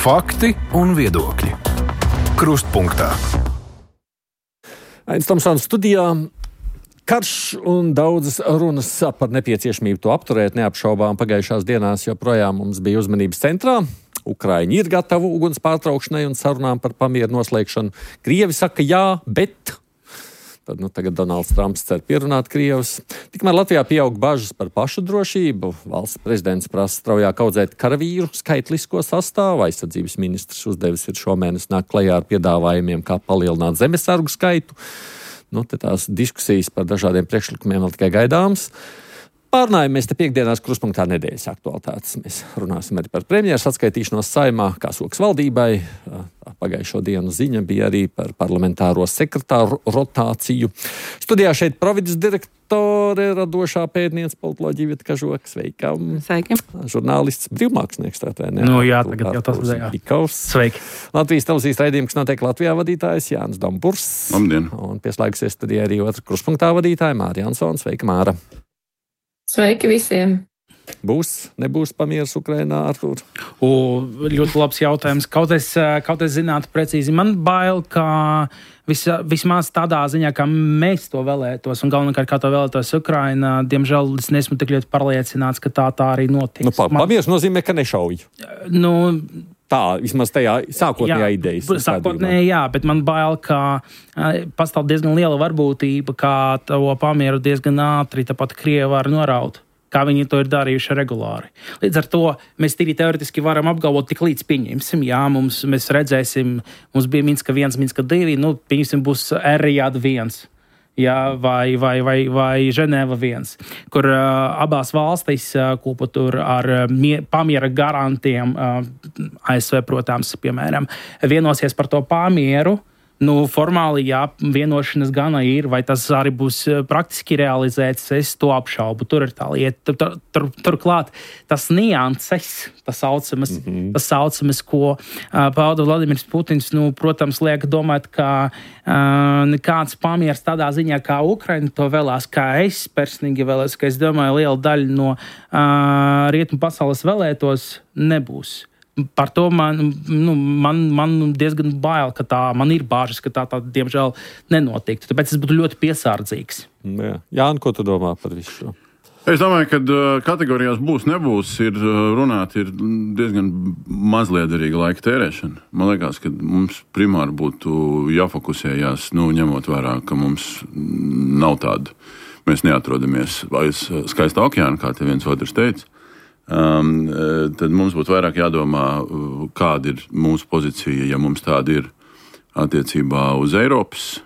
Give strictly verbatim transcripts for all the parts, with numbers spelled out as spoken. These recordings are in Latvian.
Fakti un viedokļi. Krustpunktā. Ains Tomsons studijā. Karš un daudzas runas par nepieciešamību to apturēt neapšaubām pagājušās dienās joprojām mums bija uzmanības centrā. Ukraiņi ir gatavi uguns pārtraukšanai un sarunām par pamieru noslēgšanu. Krievi saka jā, bet... Tad nu, tagad Donalds Trumps cer pierunāt Krievus. Tikmēr Latvijā pieaug bažas par pašu drošību. Valsts prezidents prasa straujāk audzēt karavīru skaitlisko sastāvu. Aizsardzības ministrs uzdevis ir šomēnes nāk klajā ar piedāvājumiem, kā palielināt zemesargu skaitu. Nu, te tās diskusijas par dažādiem priekšlikumiem vēl tikai gaidāmas. Pārnājamies te piekdienās Krustpunktā nedēļas aktualitātes. Mēs runāsim arī par premjeras atskaitīšanos Saeimā, kā soks valdībai. Pagājušo dienu ziņa bija arī par parlamentāro sekretāru rotāciju. Studijā šeit provides direktore, radošā pētniece, politoloģija Vita Kažoka. Sveika. Sveiki. Žurnālists, brīvmākslinieks. Tā, ne? Nu jā, tagad jau tas bija. Sveiki. Latvijas televīzijas raidījums, kas notiek Latvijā, vadītājs Jānis Domburs. Labdien. Un pieslēgusies studijā arī otra Krustpunktā vadītāja Māra Jansone. Sveika, Māra. Sveiki visiem! Būs, nebūs pamieris Ukrainā, Artūr? O, ļoti labs jautājums. Kaut es, kaut es zinātu precīzi. Man bail, ka vis, vismaz tādā ziņā, kā mēs to vēlētos, un galvenokārt kā to vēlētos Ukraina, diemžēl es neesmu tik ļoti pārliecināts, ka tā tā arī notiks. Nu, pamieris nozīmē, ka nešauj. Nu... Tā, vismaz tajā sākotnējā idejas. Sākotnēji, jā, bet man bail, ka pastāv diezgan liela varbūtība, kā to pamieru diezgan ātri tāpat Krievi var noraut, kā viņi to ir darījuši regulāri. Līdz ar to mēs tīri teoretiski varam apgalvot, tik līdz pieņemsim, jā, mums, mēs redzēsim, mums bija Minska viens, Minska divi, nu, pieņemsim, būs Rijāda viens. Jā, vai, vai, vai, vai Ženēva viens, kur uh, abās valstīs uh, kopā tur ar uh, mie, pamiera garantiem, uh, A S V, protams, piemēram, vienosies par to pamieru. Nu, formāli, jā, vienošanas gana ir, vai tas arī būs praktiski realizēts, es to apšaubu. Tur ir tā lieta. Tur, tur, tur, turklāt tas nianses, tas saucamas, mm-hmm. tas saucamas, ko uh, pauda Vladimirs Putins, nu, protams, liek domāt, ka uh, nekāds pamieris tādā ziņā, kā Ukraina to vēlās, kā es personīgi vēlēs, ka es domāju, liela daļa no uh, rietumu pasaules vēlētos nebūs. Par to man, nu, man, man diezgan bail, ka tā, man ir bāžas, ka tā, tā diemžēl nenotiktu. Tāpēc es būtu ļoti piesardzīgs. Jā, Jāni, ko tu domā par visu šo? Es domāju, ka kategorijās būs, nebūs, ir runāt, ir diezgan mazliederīga laika tērēšana. Man liekas, ka mums primāri būtu jāfokusējās, nu, ņemot vērā, ka mums nav tāda. Mēs neatrodamies aiz skaista okeāna, kā te viens otrs teica. Um, tad mums būtu vairāk jādomā, kāda ir mūsu pozīcija, ja mums tāda ir attiecībā uz Eiropas,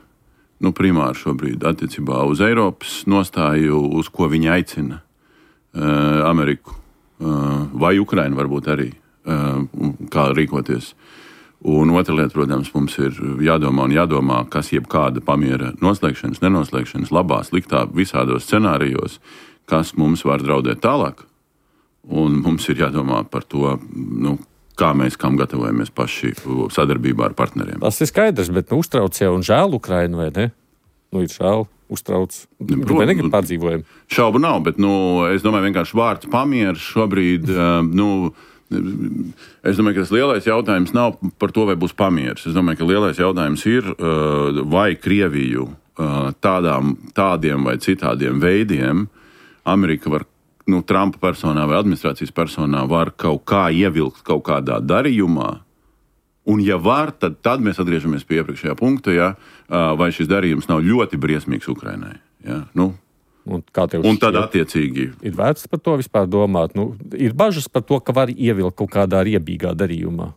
nu primāri šobrīd attiecībā uz Eiropas nostāju, uz ko viņi aicina uh, Ameriku uh, vai Ukrainu varbūt arī, uh, kā rīkoties. Un otra lieta, protams, mums ir jādomā un jādomā, kas jebkāda pamiera noslēgšanas, nenoslēgšanas, labā, sliktā, visādos scenārijos, kas mums var draudēt tālāk. Un mums ir jādomā par to, nu, kā mēs kam gatavojamies paši sadarbībā ar partneriem. Tas ir skaidrs, bet nu, uztrauc jau un žēl Ukrainu, vai ne? Nu, ir žēl, uztrauc. Vai negrib pārdzīvojumu? Šaubu nav, bet, nu, es domāju, vienkārši vārds pamieris šobrīd, nu, es domāju, ka tas lielais jautājums nav par to, vai būs pamieris. Es domāju, ka lielais jautājums ir, vai Krieviju tādām, tādiem vai citādiem veidiem Amerika var, nu, Trumpa personā vai administrācijas personā var kaut kā ievilkt kaut kādā darījumā, un ja var, tad, tad mēs atgriežamies pie iepriekšējā punkta, ja, vai šis darījums nav ļoti briesmīgs Ukrainai. Ja, nu, un un tad attiecīgi. Ir vērts par to vispār domāt. Nu, ir bažas par to, ka var ievilkt kaut kādā riebīgā darījumā.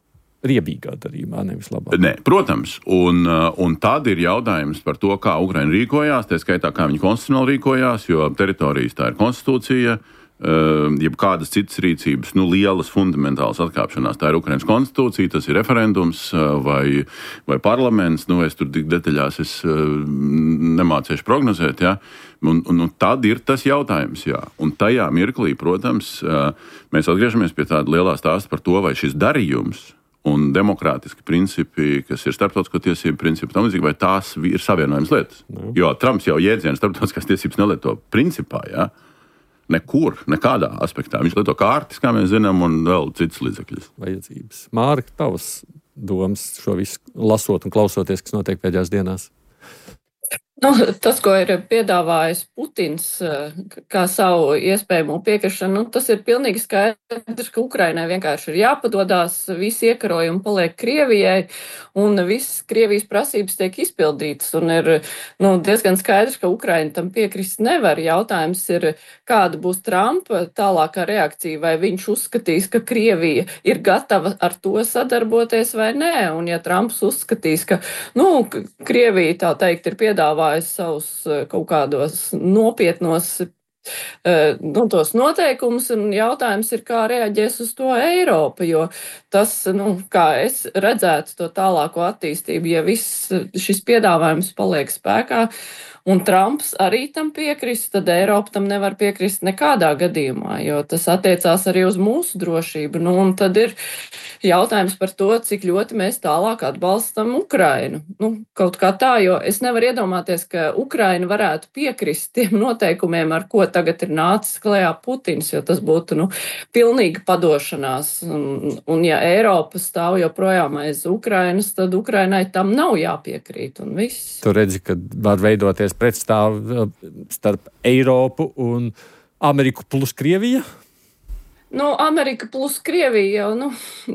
Riebīgā darījumā, nevis labā. Nē, protams, un, un tad ir jautājums par to, kā Ukraina rīkojās, tā skaitā, kā viņi konstitucionāli rīkojās, jo teritorijas tā ir konstitūcija, jeb kādas citas rīcības, nu, lielas fundamentālas atkāpšanās. Tā ir Ukrainas konstitūcija, tas ir referendums vai, vai parlaments, nu, es tur tik detaļās es nemācīšu prognozēt, jā. Un, un, un tad ir tas jautājums, jā. Un tajā mirklī, protams, mēs atgriežamies pie tāda lielā stāsta par to, vai šis darījums un demokrātiski principi, kas ir starptautisko tiesību principi, tam līdzīgi, vai tās ir savienojums lietas. Jā. Jo Trumps jau jēdzienu starptautiskās tiesības nelieto principā, jā. nekur, nekādā aspektā. Viņš lieto kārtis, kā mēs zinām, un vēl citas līdzekļus. Vajadzības. Mārka, tavas domas šo visu lasot un klausoties, kas notiek pēdējās dienās? Nu, tas, ko ir piedāvājis Putins kā savu iespējamo piekrišanu, nu, tas ir pilnīgi skaidrs, ka Ukrainai vienkārši ir jāpadodās, visi iekarojumi paliek Krievijai, un viss Krievijas prasības tiek izpildītas, un ir nu, diezgan skaidrs, ka Ukraina tam piekrist nevar. Jautājums ir, kāda būs Trumpa tālākā reakcija, vai viņš uzskatīs, ka Krievija ir gatava ar to sadarboties vai nē, un ja Trumps uzskatīs, ka, nu, Krievija, tā teikt, ir piedāvājis savus kaut kādos nopietnos nu, tos noteikumus, un jautājums ir, kā reaģēs uz to Eiropa, jo tas, nu, kā es redzētu to tālāko attīstību, ja viss šis piedāvājums paliek spēkā, un Trumps arī tam piekrist, tad Eiropa tam nevar piekrist nekādā gadījumā, jo tas attiecās arī uz mūsu drošību. Nu, un tad ir jautājums par to, cik ļoti mēs tālāk atbalstam Ukrainu. Nu, kaut kā tā, jo es nevaru iedomāties, ka Ukraina varētu piekrist tiem noteikumiem, ar ko tagad ir nācis klajā Putins, jo tas būtu, nu, pilnīga padošanās. Un, un ja Eiropa stāv joprojām aiz Ukrainas, tad Ukrainai tam nav jāpiekrīt, un viss. Tu redzi, ka var veidoties pretstāv starp Eiropu un Ameriku plus Krievija? Nu, Amerika plus Krievija jau, nu,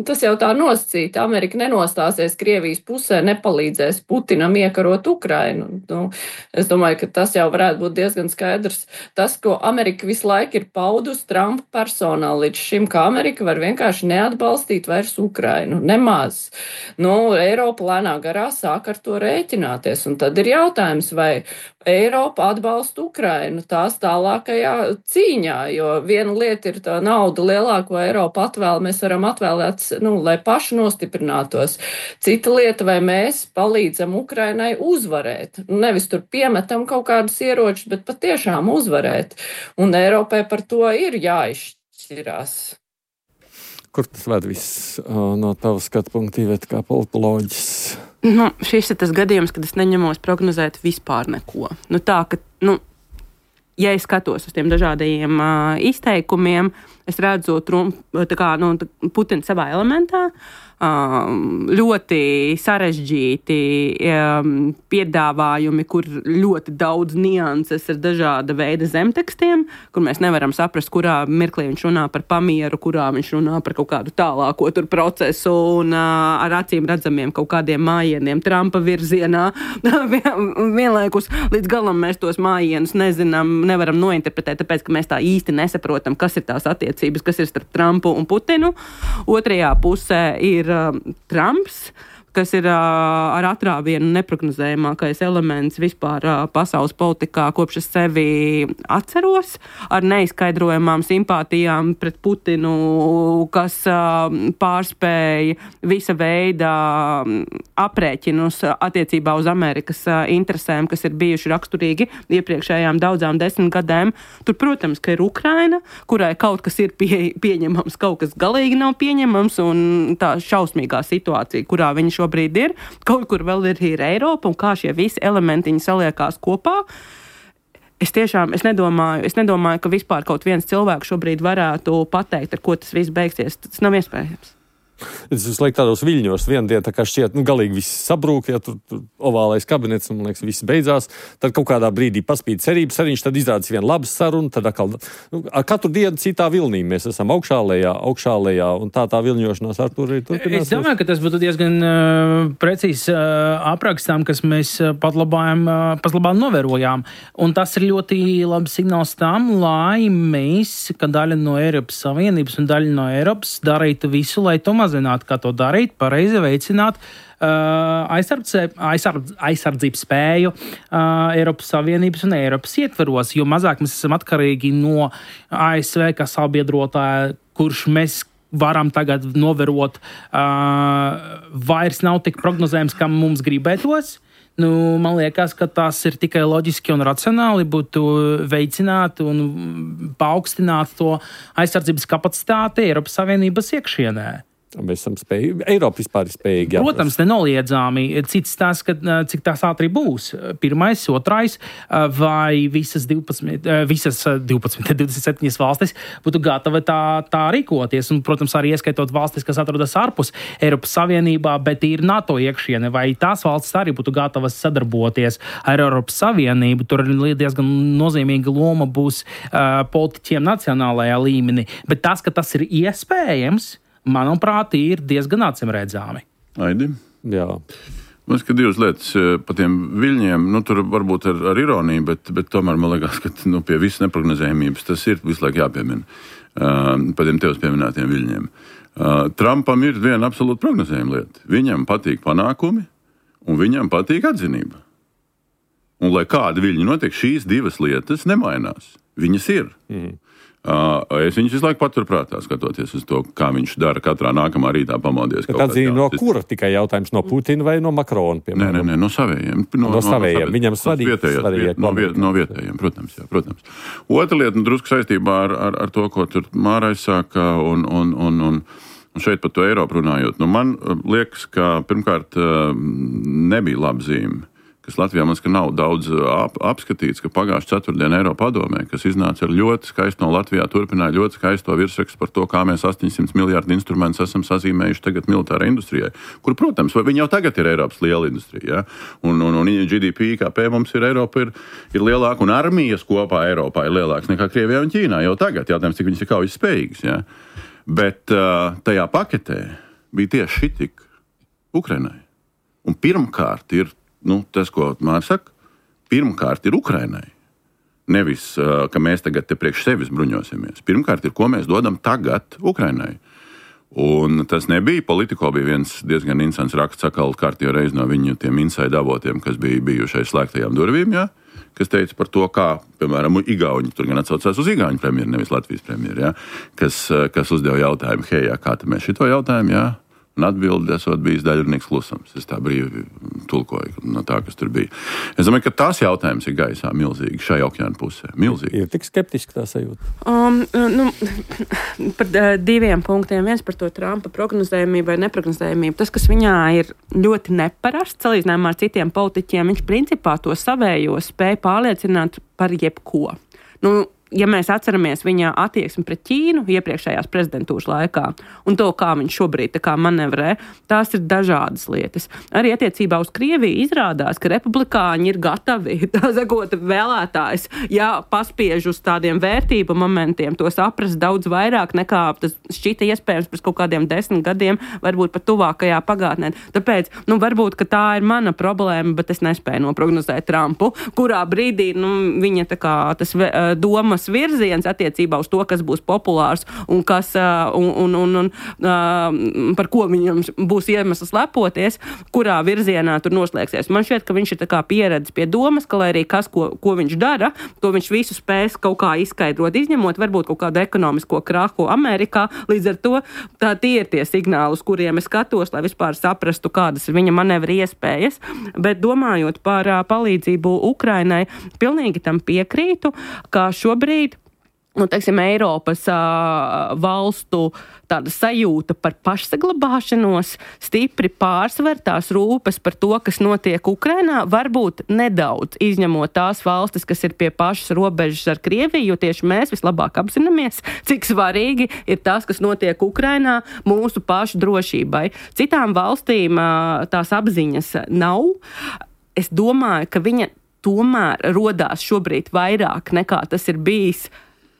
tas jau tā nosacīta. Amerika nenostāsies Krievijas pusē, nepalīdzēs Putinam iekarot Ukrainu. Nu, es domāju, ka tas jau varētu būt diezgan skaidrs. Tas, ko Amerika visu laiku ir paudus Trumpa personā līdz šim, ka Amerika var vienkārši neatbalstīt vairs Ukrainu. Nemaz. Nu, Eiropa lēnā garā sāk ar to rēķināties. Un tad ir jautājums, vai Eiropa atbalsta Ukrainu tās tālākajā cīņā, jo viena lieta ir tā nauda lielāko Eiropa atvēl, mēs varam atvēlēt, nu, lai paši nostiprinātos. Cita lieta, vai mēs palīdzam Ukrainai uzvarēt. Nevis tur piemetam kaut kādus ieročus, bet patiešām uzvarēt. Un Eiropai par to ir jāizšķirās. Kur tas ved viss no tavas skatu punkta, Iveta, kā politoloģis? Nu, šis ir tas gadījums, kad es neņemos prognozēt vispār neko. Nu, tā, ka, nu, ja es skatos uz tiem dažādajiem uh, izteikumiem, es redzu Trump, tā kā, nu, Putinu savā elementā, um, ļoti sarežģīti um, piedāvājumi, kur ļoti daudz nianses ar dažāda veida zemtekstiem, kur mēs nevaram saprast, kurā mirklī viņš runā par pamieru, kurā viņš runā par kaut kādu tālāko tur procesu un uh, ar acīm redzamiem kaut kādiem mājieniem Trumpa virzienā. Vienlaikus līdz galam mēs tos mājienus nezinām, nevaram nointerpretēt, tāpēc, ka mēs tā īsti nesaprotam, kas ir tās attiecības, kas ir starp Trumpu un Putinu. Otrajā pusē ir uh, Trumps, kas ir uh, ar atrāvienu neprognozējamākais elements vispār uh, pasaules politikā, kopš es sevi atceros, ar neizskaidrojamām simpātijām pret Putinu, kas uh, pārspēja visa veida aprēķinus attiecībā uz Amerikas uh, interesēm, kas ir bijuši raksturīgi iepriekšējām daudzām desmitgadēm. Tur, protams, ka ir Ukraina, kurai kaut kas ir pie, pieņemams, kaut kas galīgi nav pieņemams, un tā šausmīgā situācija, kurā viņi šo brīdi ir, kaut kur vēl ir, ir Eiropa, un kā šie visi elementiņi saliekās kopā. Es tiešām, es nedomāju, es nedomāju, ka vispār kaut viens cilvēks šobrīd varētu pateikt, ar ko tas viss beigsies. Tas nav iespējams. Es visu laiku tādos viļņos, viena diena tā kā šķiet, nu, galīgi viss sabrūk, ja tur, tur ovālais kabinets, un, man liekas, viss beidzās. Tad kaut kādā brīdī paspīd cerības arī, tad izrādās viena labas saruna, tad atkal, nu, ar katru dienu citā vilnī mēs esam augšā lejā, augšā lejā, un tā tā viļņošanās ar tur arī turpinās. Es domāju, ka tas būtu diezgan uh, precīzs uh, aprakstām, kas mēs uh, pat labājam, uh, pat labāk novērojām. Un tas ir ļoti labs signāls tam, lai mēs, kā daļa no Eiropas Savienības un daļa no Eiropas, darītu visu, lai to mazināt, kā to darīt, pareizi veicināt uh, aizsardz, aizsardzības spēju uh, Eiropas Savienības un Eiropas ietveros, jo mazāk mēs esam atkarīgi no A S V kā sabiedrotāja, kurš mēs varam tagad novērot, uh, vairs nav tik prognozējams, kā mums gribētos. Nu, man liekas, ka tas ir tikai loģiski un racionāli būtu veicināt un paaugstināt to aizsardzības kapacitāti Eiropas Savienības iekšienē. Mēs esam spējīgi, Eiropa vispār ir spējīgi. Protams, nenoliedzami. Cits tās, ka, cik tās ātri būs. Pirmais, otrais, vai visas divpadsmit, visas divpadsmit, divdesmit septiņas valstis būtu gatavi tā, tā rīkoties. Un, protams, arī ieskaitot valstis, kas atrodas ārpus Eiropas Savienībā, bet ir NATO iekšiene, vai tās valstis arī būtu gatavas sadarboties ar Eiropas Savienību. Tur diezgan nozīmīga loma būs uh, politiķiem nacionālajā līmenī. Bet tas, ka tas ir iespējams, manuprāt, ir diezgan acimredzami. Aidi? Jā. Man liekas, ka divas lietas par tiem viļņiem, nu, tur varbūt ar, ar ironiju, bet, bet tomēr man liekas, ka nu, pie visas neprognozējumības tas ir visu laiku jāpiemina uh, par tiem tevs pieminētiem viļņiem. Uh, Trumpam ir viena absolūta prognozējuma lieta. Viņam patīk panākumi un viņam patīk atzinība. Un lai kādi viļņi notiek, šīs divas lietas nemainās. Viņas ir. Mm. Uh, es viņus visu laiku paturprātā, skatoties uz to, kā viņš dara katrā nākamā rītā pamodies. Tā dzīve no kura? Tikai jautājums no Putina vai no Makrona? Nē, nē, nē, no savējiem. No, no savējiem. Viņam svarīgi. Vietējās, no, viet, no vietējiem, protams, jā, protams. Otra lieta, nu, drusku saistībā ar, ar, ar to, ko tur Māra aizsāka un, un, un, un, un šeit par to Eiropu runājot. Nu, man liekas, ka pirmkārt nebija laba zīme, kas Latvijā man ska nav daudz ap, apskatīts, ka pagājušā ceturtdiena Eiropa padomē, kas iznāca ar ļoti skaistu no Latvijā, turpināja ļoti skaisto virsrakstu par to, kā mēs astoņsimt miljārdu instrumentus esam sazīmējuši tagad militārai industrijai, kur, protams, viņi jau tagad ir Eiropas liela industrija, ja? un, un, un G D P, I K P mums ir Eiropa, ir, ir lielāka, un armijas kopā Eiropā ir lielāks nekā Krievijā un Ķīnā jau tagad, jautājums, cik viņas ir kaujas spējīgas, ja? Bet uh, tajā paketē bija tieši šitik Ukrainai. Un pirmkārt ir Nu, tas, ko Māra saka, pirmkārt ir Ukrainai. Nevis, ka mēs tagad te priekš sevis bruņosimies. Pirmkārt ir, ko mēs dodam tagad Ukrainai. Un tas nebija. Politiko bija viens diezgan interesants raksts, sakal kārtībā reiz no viņu tiem inside avotiem, kas bija bijušais slēgtajām durvīm, jā, kas teica par to, kā, piemēram, Igauņi, tur gan atsaucās uz Igauņu premjeru, nevis Latvijas premjeru, jā, kas, kas uzdeva jautājumu, hei, jā, kā te mēs šito jautājumu, jā. Un atbildi esot bijis daļrunīgs klusums. Es tā brīvi tulkoju no tā, kas tur bija. Es domāju, ka tās jautājums ir gaisā milzīgi šai okeāna pusē. Milzīgi. Ir tik skeptiski tā sajūta. Um, nu, par diviem punktiem. Viens par to Trumpa prognozējumību vai neprognozējumību. Tas, kas viņā ir ļoti neparasts, salīdzinājumā ar citiem politiķiem, viņš principā to savējo spēja pārliecināt par jebko. Nu, ja mēs atceramies viņa attieksmi pret Ķīnu iepriekšējās prezidentūras laikā un to, kā viņš šobrīd tā kā manevrē, tās ir dažādas lietas. Arī attiecībā uz Krieviju izrādās, ka republikāņi ir gatavi, tā sakot, vēlētājs, ja paspiež uz tādiem vērtību momentiem, to saprast daudz vairāk nekā tas šķita iespējams pēc kaut kādiem desmit gadiem, varbūt pat tuvākajā pagātnē. Tāpēc, nu, varbūt, ka tā ir mana problēma, bet es nespēju noprognozēt Trumpu, kurā brīdī, nu, viņa tā kā tas doma virziens attiecībā uz to, kas būs populārs un, kas, un, un, un, un par ko viņam būs iemesls lepoties, kurā virzienā tur noslēgsies. Man šķiet, ka viņš ir tā kā pieredzis pie domas, ka lai arī kas, ko, ko viņš dara, to viņš visu spēs kaut kā izskaidrot, izņemot varbūt kaut kādu ekonomisko krahu Amerikā. Līdz ar to tā tie ir tie signāli, uz kuriem es skatos, lai vispār saprastu, kādas ir viņa manevri iespējas. Bet domājot par palīdzību Ukrainai, pilnīgi tam piekrītu, ka šobrīd Nu, teiksim, Eiropas uh, valstu tāda sajūta par pašsaglabāšanos stipri pārsver tās rūpes par to, kas notiek Ukrainā, varbūt nedaudz izņemot tās valstis, kas ir pie pašas robežas ar Krieviju, jo tieši mēs vislabāk apzināmies, cik svarīgi ir tas, kas notiek Ukrainā mūsu pašu drošībai. Citām valstīm uh, tās apziņas nav. Es domāju, ka viņa tomēr rodās šobrīd vairāk nekā tas ir bijis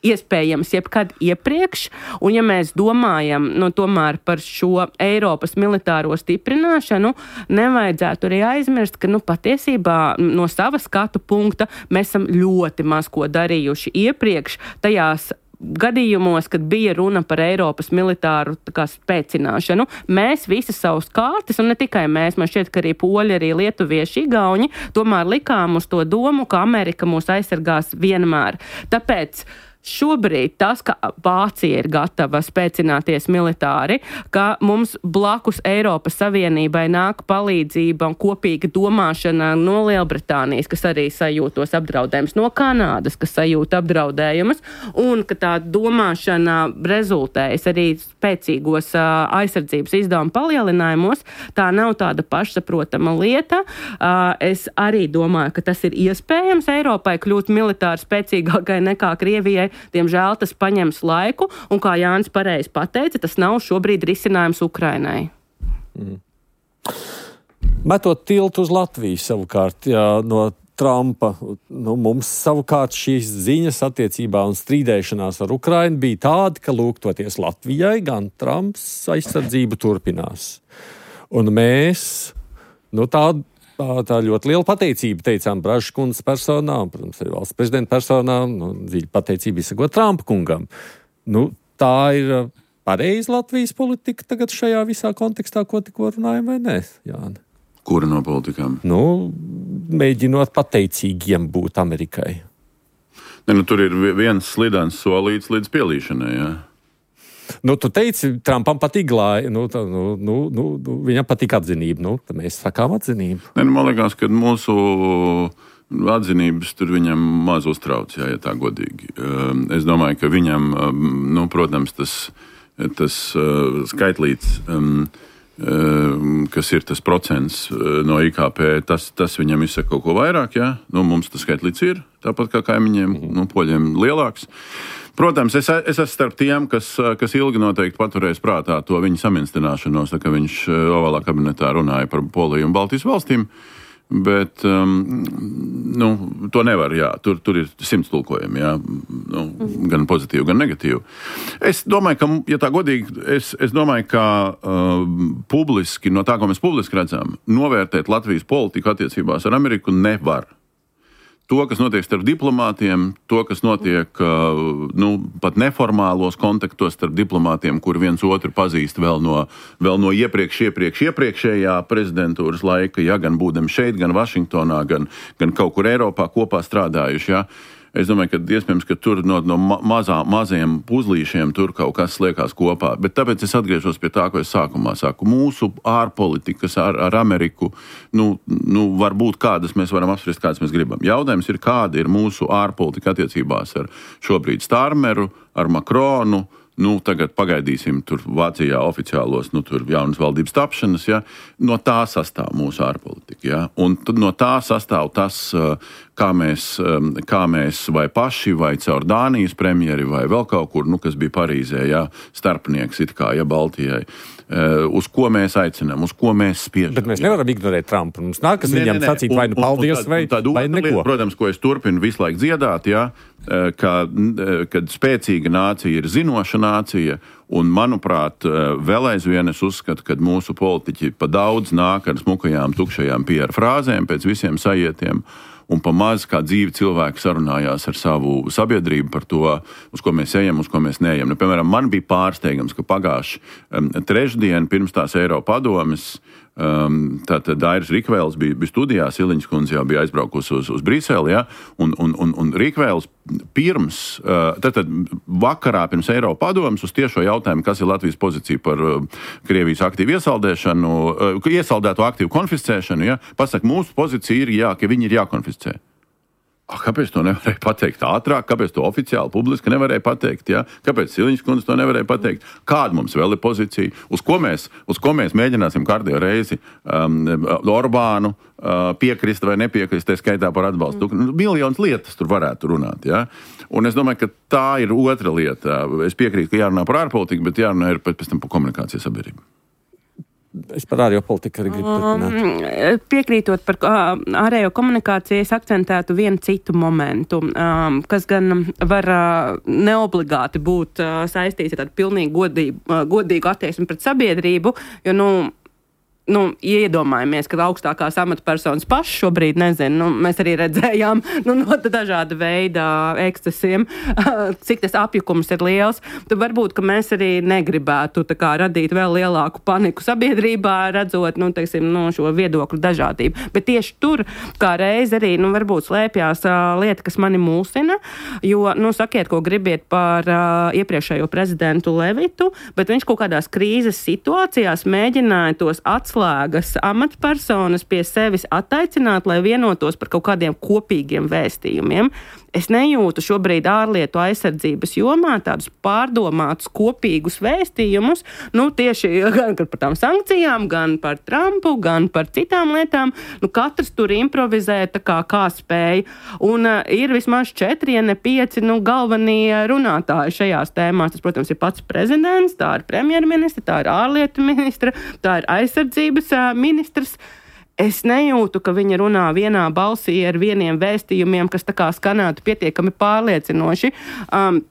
iespējams jebkad iepriekš, un ja mēs domājam nu, tomēr par šo Eiropas militāro stiprināšanu, nevajadzētu arī aizmirst, ka nu, patiesībā no sava skatu punkta mēs esam ļoti maz ko darījuši iepriekš tajās gadījumos, kad bija runa par Eiropas militāru tā kā, spēcināšanu. Mēs visas savus kārtas, un ne tikai mēs, man šķiet, ka arī poļi, arī lietuvieši, igauņi, tomēr likām uz to domu, ka Amerika mūs aizsargās vienmēr. Tāpēc šobrīd tas, ka Vācija ir gatava spēcināties militāri, ka mums blakus Eiropas Savienībai nāk palīdzība un kopīga domāšana no Lielbritānijas, kas arī sajūtos apdraudējumus, no Kanādas, kas sajūt apdraudējumus, un ka tā domāšana rezultējas arī spēcīgos uh, aizsardzības izdevumu palielinājumos, tā nav tāda pašsaprotama lieta. Uh, es arī domāju, ka tas ir iespējams Eiropai kļūt militāri spēcīgākai nekā Krievijai. Diemžēl tas paņems laiku, un kā Jānis pareizi pateica, tas nav šobrīd risinājums Ukrainai. Mm. Metot tiltu uz Latviju savukārt, jā, no Trumpa, nu, mums savukārt šīs ziņas attiecībā un strīdēšanās ar Ukrainu bija tāda, ka lūgtoties Latvijai, gan Trumps aizsardzību turpinās. Un mēs, nu tādu, Tā, tā ļoti liela pateicība teicām Bražas kundzes personā, un, protams, arī valsts prezidenta personā, nu, dziļa pateicība izsakot Trumpa kungam. Nu, tā ir pareiza Latvijas politika tagad šajā visā kontekstā, ko tikko runājam, vai ne, Jāni? Kura no politikām? Nu, mēģinot pateicīgiem būt Amerikai. Ne, nu, tur ir viens slidens solīts līdz pielīšanai, jā. Nu, tu teici, Trumpam patīk glāja, nu, tā, nu, nu, nu, viņam patīk atzinība, nu, tad mēs sakām atzinību. Ne, nu, man liekas, ka mūsu atzinības tur viņam maz uztrauc, jā, ja tā godīgi. Es domāju, ka viņam, nu, protams, tas, tas skaitlīts, kas ir tas procents no I K P, tas, tas viņam izsaka kaut ko vairāk, jā. Nu, mums tas skaitlīts ir, tāpat kā kaimiņiem, nu, poļiem lielāks. Protams, es, es esmu starp tiem, kas, kas ilgi noteikti paturēs prātā to viņa saminstināšanos, tā, ka viņš Ovalā kabinetā runāja par Poliju un Baltijas valstīm, bet um, nu, to nevar, jā, tur, tur ir simts tulkojumi, jā, nu, gan pozitīvi, gan negatīvi. Es domāju, ka, ja tā godīgi, es, es domāju, ka uh, publiski, no tā, ko mēs publiski redzam, novērtēt Latvijas politiku attiecībās ar Ameriku nevar. To, kas notiek starp diplomātiem, to, kas notiek nu, pat neformālos kontaktos starp diplomātiem, kur viens otru pazīst vēl no, vēl no iepriekš, iepriekš, iepriekšējā prezidentūras laika, ja, gan būdam šeit, gan Vašingtonā, gan, gan kaut kur Eiropā kopā strādājuši. Ja. Es domāju, ka iespējams, ka tur no, no mazā, mazajiem puzlīšiem tur kaut kas liekās kopā. Bet tāpēc es atgriežos pie tā, ko es sākumā saku. Mūsu ārpolitikas ar, ar Ameriku, nu, nu, var būt kādas, mēs varam apspriest, kādas mēs gribam. Jautājums ir, kāda ir mūsu ārpolitika attiecībās ar šobrīd Starmeru, ar Makronu. Nu, tagad pagaidīsim tur Vācijā oficiālos, nu, tur jaunas valdības tapšanas, ja. No tā sastāv mūsu ārpolitika, ja. Un no tā sastāv tas, kā mēs, kā mēs vai paši, vai caur Dānijas premjeri, vai vēl kaut kur, nu, kas bija Parīzē, ja, starpnieks it kā, ja, Baltijai. Uz ko mēs aicinām, uz ko mēs spiežam. Bet mēs nevaram ignorēt Trumpu. Mums nākas viņam sacīt vai nu paldies, vai, vai neko. Lieta, protams, ko es turpinu visu laiku dziedāt, ja, ka, kad spēcīga nācija ir zinoša nācija, un, manuprāt, vēl aizvien es uzskatu, ka mūsu politiķi pa daudz nāk ar smukajām, tukšajām P R frāzēm pēc visiem sajietiem, un pa maz kā dzīvi cilvēki sarunājās ar savu sabiedrību par to, uz ko mēs ejam, uz ko mēs neejam. Nu, piemēram, man bija pārsteigums, ka pagājuši um, trešdien pirms tās Eiropadomes Um, tātad Dairis Rikvēls bija, bija studijā, Siliņas kundze jau bija aizbraukusi uz, uz Briseli, ja, un, un, un, un Rikvēls pirms, uh, tātad vakarā pirms Eiropadomes uz tiešo jautājumu, kas ir Latvijas pozīcija par uh, Krievijas aktīvu iesaldēšanu, uh, iesaldēto aktīvu konfiscēšanu, ja, pasaka, mūsu pozīcija ir, jā, ka viņi ir jākonfiscē. Ah, kāpēc to nevarēja pateikt ātrāk? Kāpēc to oficiāli publiski nevarēja pateikt? Ja? Kāpēc Siliņas kundze to nevarēja pateikt? Kāda mums vēl ir pozīcija? Uz ko mēs, uz ko mēs mēģināsim kārtējo reizi um, Orbānu uh, piekrist vai nepiekrist, tā skaitā par atbalstu? Mm. Miljonas lietas tur varētu runāt. Ja? Un es domāju, ka tā ir otra lieta. Es piekrītu, ka jārunā par ārpolitiku, bet jārunā ir pēc tam par komunikācijas sabiedrību. Es par ārējo politiku arī gribu turpināt. Piekrītot par ārējo komunikāciju, es akcentētu vienu citu momentu, kas gan var neobligāti būt saistīts ar tādu pilnīgi godīgu, godīgu attieksmi pret sabiedrību, jo, nu, nu, iedomājamies, ka augstākās amatpersonas paši šobrīd nezinu, nu, mēs arī redzējām nu, no dažāda veida ekscesiem, cik tas apjukums ir liels, tad varbūt, ka mēs arī negribētu tā kā radīt vēl lielāku paniku sabiedrībā, redzot, nu, teiksim, no šo viedokļu dažādību. Bet tieši tur, kā reiz arī, nu, varbūt slēpjās uh, lieta, kas mani mulsina, jo, nu, sakiet, ko gribiet par uh, iepriekšējo prezidentu Levitu, bet viņš kaut kādās krīzes situācijās mēģināja tos atslēgas amatpersonas pie sevis attaicināt, lai vienotos par kaut kādiem kopīgiem vēstījumiem. Es nejūtu šobrīd ārlietu aizsardzības jomā tādus pārdomātus kopīgus vēstījumus, nu tieši gan par tām sankcijām, gan par Trumpu, gan par citām lietām. Nu, katrs tur improvizē tā kā, kā spēja. Un uh, ir vismaz četri, ja ne pieci, nu, galvenie runātāji šajās tēmās. Tas, protams, ir pats prezidents, tā ir premjerministra, tā ir ārlietu ministra, tā ir aizsardzības uh, ministrs. Es nejūtu, ka viņa runā vienā balsī ar vieniem vēstījumiem, kas tā kā skanētu pietiekami pārliecinoši. Um,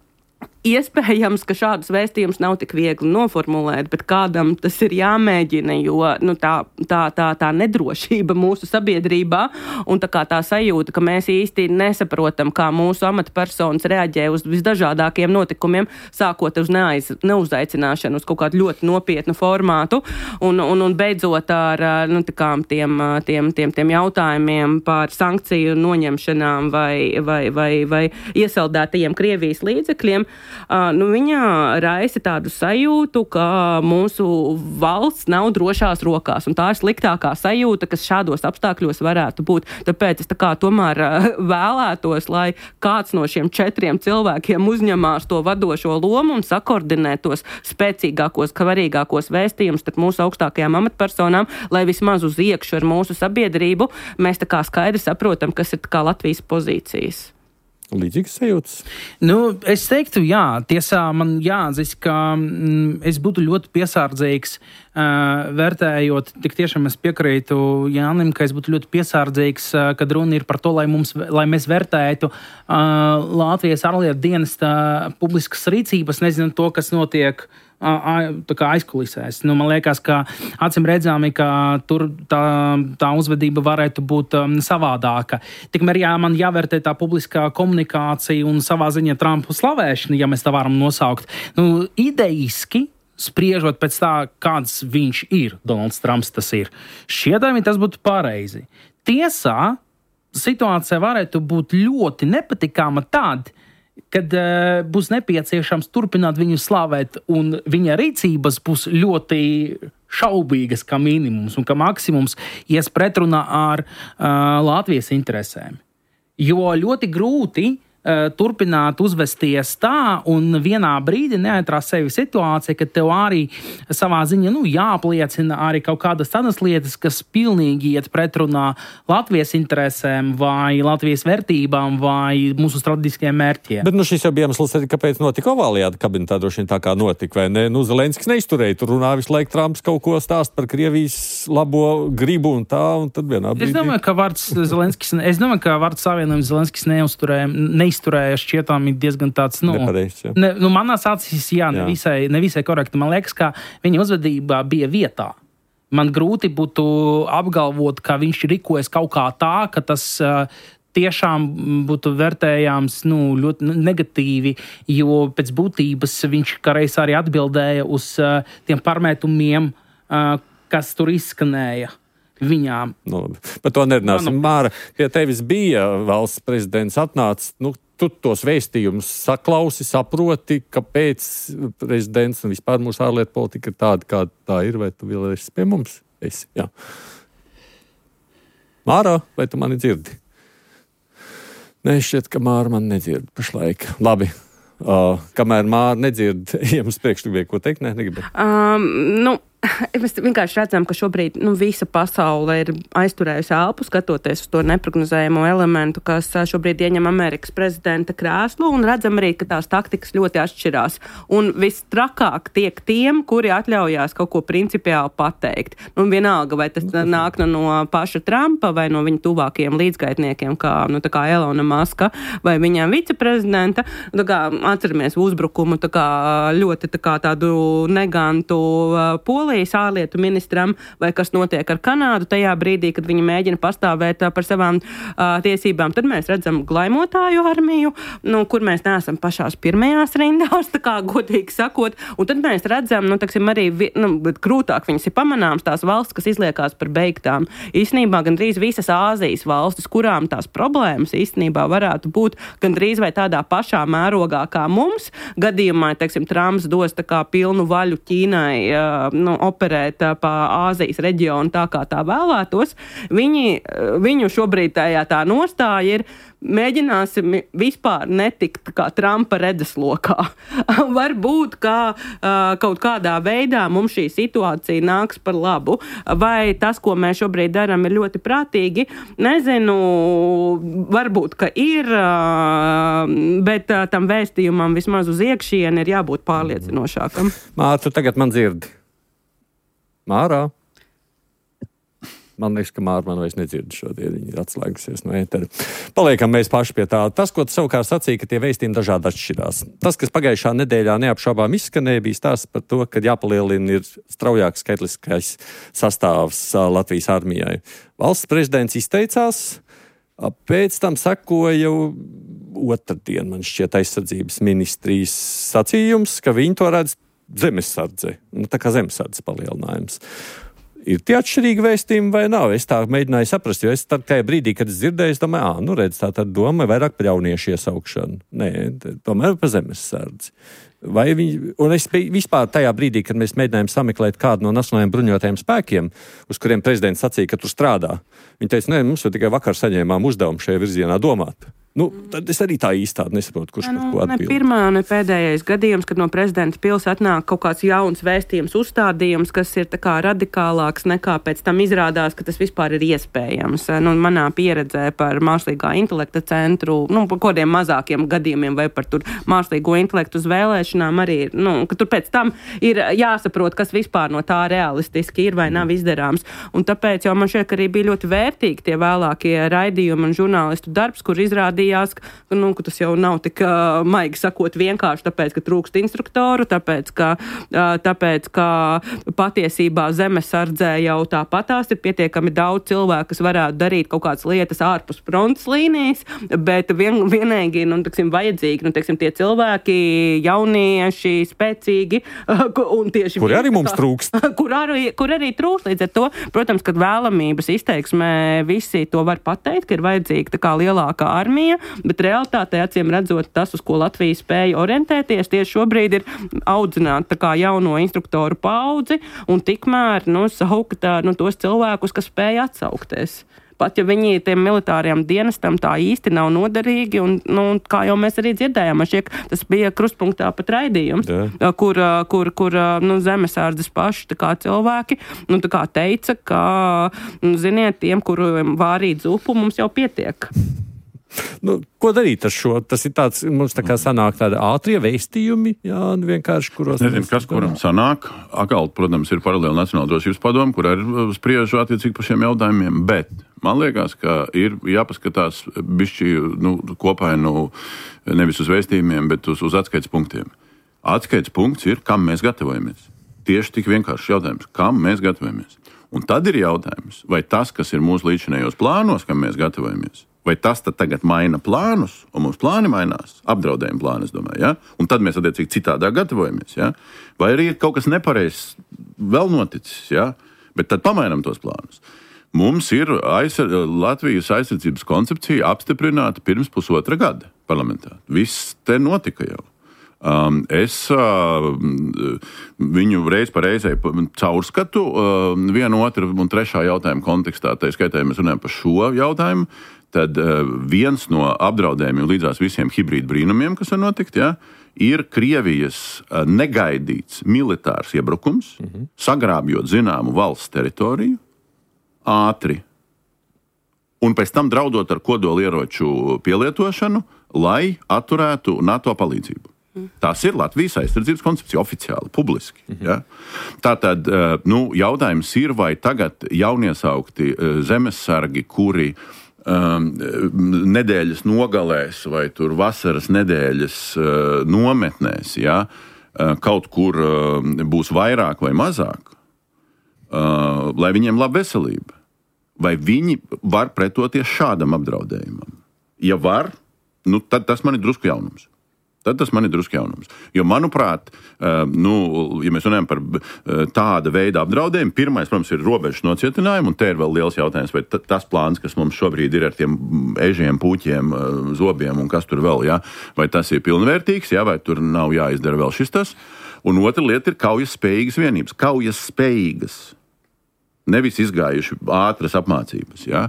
Iespējams, ka šādus vēstījumus nav tik viegli noformulēt, bet kādam tas ir jāmēģina, jo nu, tā, tā, tā, tā nedrošība mūsu sabiedrībā un tā kā tā sajūta, ka mēs īsti nesaprotam, kā mūsu amatpersonas reaģē uz visdažādākiem notikumiem, sākot uz neaiz, neuzaicināšanu uz kaut kādu ļoti nopietnu formātu un, un, un beidzot ar nu, tiem, tiem, tiem, tiem jautājumiem par sankciju noņemšanām vai, vai, vai, vai iesaldētajiem Krievijas līdzekļiem. Uh, nu, viņa raisa tādu sajūtu, ka mūsu valsts nav drošās rokās, un tā ir sliktākā sajūta, kas šādos apstākļos varētu būt. Tāpēc es tā kā tomēr uh, vēlētos, lai kāds no šiem četriem cilvēkiem uzņemās to vadošo lomu un sakoordinē tos spēcīgākos, svarīgākos vēstījumus starp mūsu augstākajām amatpersonām, lai vismaz uz iekšu ar mūsu sabiedrību mēs tā kā skaidri saprotam, kas ir tā kā Latvijas pozīcijas. Līdzīgas sajūtas? Nu, es teiktu, jā, tiesā man jāatzīst, ka mm, es būtu ļoti piesardzīgs, uh, vērtējot, tik tiešām es piekrītu Jānim, ka es būtu ļoti piesardzīgs, uh, kad runa ir par to, lai, mums, lai mēs vērtētu uh, Latvijas ārlietu dienesta publiskas rīcības, nezinu to, kas notiek tā kā aizkulisēs. Nu, man liekas, ka acīm redzami, ka tur tā, tā uzvedība varētu būt um, savādāka. Tikmēr jā, man jāvērtē tā publiskā komunikācija un savā ziņā Trumpu slavēšana, ja mēs tā varam nosaukt. Nu, ideiski, spriežot pēc tā, kāds viņš ir, Donalds Trumps tas ir, šķietami tas būtu pareizi. Tiesā situācija varētu būt ļoti nepatikāma tad, kad uh, būs nepieciešams turpināt viņu slavēt, un viņa rīcības būs ļoti šaubīgas kā minimums, un ka maksimums ies pretrunā ar uh, Latvijas interesēm. Jo ļoti grūti uh, turpināt uzvesties tā, un vienā brīdī neatrast sevi situācija, ka tev arī savā ziņā nu, jāapliecina arī kaut kādas tādas lietas, kas pilnīgi iet pretrunā Latvijas interesēm vai Latvijas vērtībām vai mūsu strateģiskajiem mērķiem. Bet nu, šis jau bija iemesls arī, kāpēc notika ovālajā kabinetā, droši vien tā kā notika, vai ne? Nu, Zelenskis neizturēja, tur runā visu laiku Trumps kaut ko stāst par Krievijas labo gribu un tā, un tad vienā brīdī. Es domāju, ka vārds Zelenskis, es domāju, ka vārds savienojums Zelenskis neuzturēja, neizturēja šķietām ir diezgan tāds, nu, nepareizs, jā. Ne, nu manās acīs, jā, jā. Nevisai, nevisai korekti. Man liekas, ka viņa uzvedībā bija vietā. Man grūti būtu apgalvot, ka viņš rīkojas kaut kā tā, ka tas uh, tiešām būtu vērtējams nu, ļoti negatīvi, jo pēc būtības viņš kādreiz arī atbildēja uz uh, tiem pārmetumiem, uh, kas tur izskanēja viņām. Nu, par to nerunāsim. Māra, pie tevis bija valsts prezidents atnācis, nu, tu tos vēstījumus saklausi, saproti, kāpēc prezidents un vispār mūsu ārlietu politika ir tāda, kāda tā ir, vai tu vēl esi pie mums? Esi, jā. Māra, vai tu mani dzirdi? Nē, šķiet, ka Māra man nedzird pašlaik. Labi. Uh, kamēr Māra nedzird, jums priekšlikumi, ko teikt? Nē, negribu. Um, nu, mēs vienkārši redzam, ka šobrīd nu, visa pasaule ir aizturējusi elpu, skatoties uz to neprognozējumu elementu, kas šobrīd ieņem Amerikas prezidenta krēslu, un redzam arī, ka tās taktikas ļoti atšķirās. Un vistrakāk tiek tiem, kuri atļaujās kaut ko principiāli pateikt. Un vienalga, vai tas nāk no, no paša Trumpa vai no viņa tuvākajiem līdzgaitniekiem, kā, nu, tā kā Elona Muska vai viņam viceprezidenta. Tā kā atceramies uzbrukumu tā kā ļoti tā kā tādu negantu uh, Poliju Polijas ārlietu ministram, vai kas notiek ar Kanādu tajā brīdī, kad viņi mēģina pastāvēt uh, par savām uh, tiesībām. Tad mēs redzam glaimotāju armiju, nu, kur mēs neesam pašās pirmajās rindās, tā kā godīgi sakot. Un tad mēs redzam, nu, taksim, arī, nu, bet krūtāk viņas ir pamanāms tās valsts, kas izliekās par beigtām. Īstenībā gandrīz visas Āzijas valstis, kurām tās problēmas īstenībā varētu būt gandrīz vai tādā pašā mērogā kā mums. Gadījumā, teiksim, Trumps dos tā kā pilnu vaļu Ķīnai uh, nu, operēt uh, pa Āzijas reģionu tā, kā tā vēlētos. Viņi, uh, viņu šobrīd tajā tā nostāja ir mēģināsim vispār netikt kā Trumpa redzeslokā. Varbūt, kā uh, kaut kādā veidā mums šī situācija nāks par labu. Vai tas, ko mēs šobrīd darām, ir ļoti prātīgi? Nezinu, varbūt, ka ir, uh, bet uh, tam vēstījumam vismaz uz iekšieni ir jābūt pārliecinošākam. Mārta, tagad man dzirdi. Mārā? Man liekas, ka Māra man vairs nedzird šodien, viņi ir atslēgusies no ētera. Paliekam mēs paši pie tā. Tas, ko tu savukārt sacīja, ka tie vēstījumi dažādi atšķirās. Tas, kas pagājušā nedēļā neapšaubām izskanēja, bija stāsts par to, ka jāpalielina ir straujāks skaitliskais sastāvs Latvijas armijai. Valsts prezidents izteicās, pēc tam sekoja otrdien, man šķiet, aizsardzības ministrijas sacījums, ka viņi to redz zemesardze, nu, tā kā zemesardzes palielinājums. Ir tie atšķirīgi vēstījumi vai nav? Es tā mēģināju saprast, jo es tad, tajā brīdī, kad es dzirdēju, es domāju, ā, nu redz, tā tad doma vairāk par jauniešu iesaukšanu. Nē, tomēr par zemesardzi. Vai viņi, un es vispār tajā brīdī, kad mēs mēģinājām sameklēt kādu no nacionālajiem bruņotajiem spēkiem, uz kuriem prezidents sacīja, ka tur strādā, viņi teica, nē, mums jau tikai vakar saņēmām uzdevumu šajā virzienā domāt. Nu, tad es arī tā īstādi nesaprotu, kurš nu, par ko atbild. Ne pirmā, ne pēdējais gadījums, kad no prezidenta pils atnāk kaut kāds jauns vēstījums, uzstādījums, kas ir tā kā radikālāks nekā pēc tam izrādās, ka tas vispār ir iespējams. Nu, manā pieredzē par mākslīgā intelekta centru, nu, par kodiem mazākiem gadījumiem vai par tur mākslīgo intelektu uz vēlēšanām arī ir, nu, ka tur pēc tam ir jāsaprot, kas vispār no tā realistiski ir vai nav izdarāms. Un tāpēc jau man šķiet, ka arī bija ļoti vērtīgi tie vēlākie raidījumi un žurnālistu darbs, kur izrādīja Jās, ka, nu, ka tas jau nav tik uh, maigi sakot vienkārši tāpēc, ka trūkst instruktoru, tāpēc, ka, uh, tāpēc, ka patiesībā zemesardzē jau tāpatās ir pietiekami daudz cilvēku, kas varētu darīt kaut kādas lietas ārpus frontes līnijas, bet vien, vienīgi, nu, teksim, vajadzīgi, nu, teksim, tie cilvēki, jaunieši, spēcīgi, uh, un tieši... Kur arī mums trūkst. Kur arī, kur arī trūkst līdz ar to. Protams, kad vēlamības izteiksmē visi to var pateikt, ka ir vajadzīga tā kā lielākā armija, bet realitātē, acīm redzot, tas, uz ko Latvija spēja orientēties, tieši šobrīd ir audzināt tā kā jauno instruktoru paudzi un tikmēr, nu, saukt nu, tos cilvēkus, kas spēja atsaukties. Pat ja viņi tiem militāriem dienestam tā īsti nav noderīgi, un, nu, kā jau mēs arī dzirdējām, šiek, tas bija krustpunktā pat raidījums, Jā. kur, kur, kur nu, zemesārdzes paši tā kā cilvēki nu, tā kā teica, ka, nu, ziniet, tiem, kuriem vārīt zupu, mums jau pietiek. Nu, ko darīt ar šo? Tas ir tāds, mums tā kā sanāk tādi ātrie vēstījumi, jā, vienkārši, kuros... Nezinu, kas kuram sanāk. Akal, protams, ir paralēli Nacionāla drošības padome, kur ir spriežu attiecīgi par šiem jautājumiem, bet man liekas, ka ir jāpaskatās bišķi, nu, kopainu nevis uz vēstījumiem, bet uz, uz atskaites punktiem. Atskaites punkts ir, kam mēs gatavojamies. Tieši tik vienkārši jautājums, kam mēs gatavojamies. Un tad ir jautājums, vai tas, kas ir mūsu līdzinējos plānos, kam mēs gatavojamies, vai tas tad tagad maina plānus, un mums plāni mainās, apdraudējuma plāni, es domāju, ja? Un tad mēs attiecīgi citādā gatavojamies, ja? Vai arī ir kaut kas nepareizs vēl noticis, ja? Bet tad pamainam tos plānus. Mums ir aizsar, Latvijas aizsardzības koncepcija apstiprināta pirms pusotra gada parlamentā. Viss te notika jau. Um, es uh, viņu reiz pa reizei caurskatu uh, vienu, otru un trešā jautājuma kontekstā, tā skaitā, ja mēs runājam par šo jautājumu, tad uh, viens no apdraudējumiem līdzās visiem hibrīdu brīnumiem, kas var notikt, ja, ir Krievijas uh, negaidīts militārs iebrukums, mm-hmm. sagrābjot zināmu valsts teritoriju, ātri, un pēc tam draudot ar kodolieroču pielietošanu, lai atturētu NATO palīdzību. Tas ir Latvijas aizsardzības koncepcija oficiāli, publiski. Mm-hmm. Ja? Tātad, nu, jautājums ir, vai tagad jauniesaukti zemesargi, kuri um, nedēļas nogalēs vai tur vasaras nedēļas uh, nometnēs, ja? uh, kaut kur uh, būs vairāk vai mazāk, uh, lai viņiem laba veselība. Vai viņi var pretoties šādam apdraudējumam? Ja var, nu, tad tas man ir drusku jaunums. Tad tas man ir drusku jaunums. Jo, manuprāt, nu, ja mēs runājam par tāda veida apdraudējumu, pirmais, protams, ir robežas nocietinājumu, un te ir vēl liels jautājums, vai tas plāns, kas mums šobrīd ir ar tiem ežiem, puķiem, zobiem un kas tur vēl, ja, vai tas ir pilnvērtīgs, ja, vai tur nav jāizdara vēl šis tas. Un otra lieta ir kaujas spējīgas vienības. Kaujas spējīgas. Nevis izgājuši ātras apmācības, ja.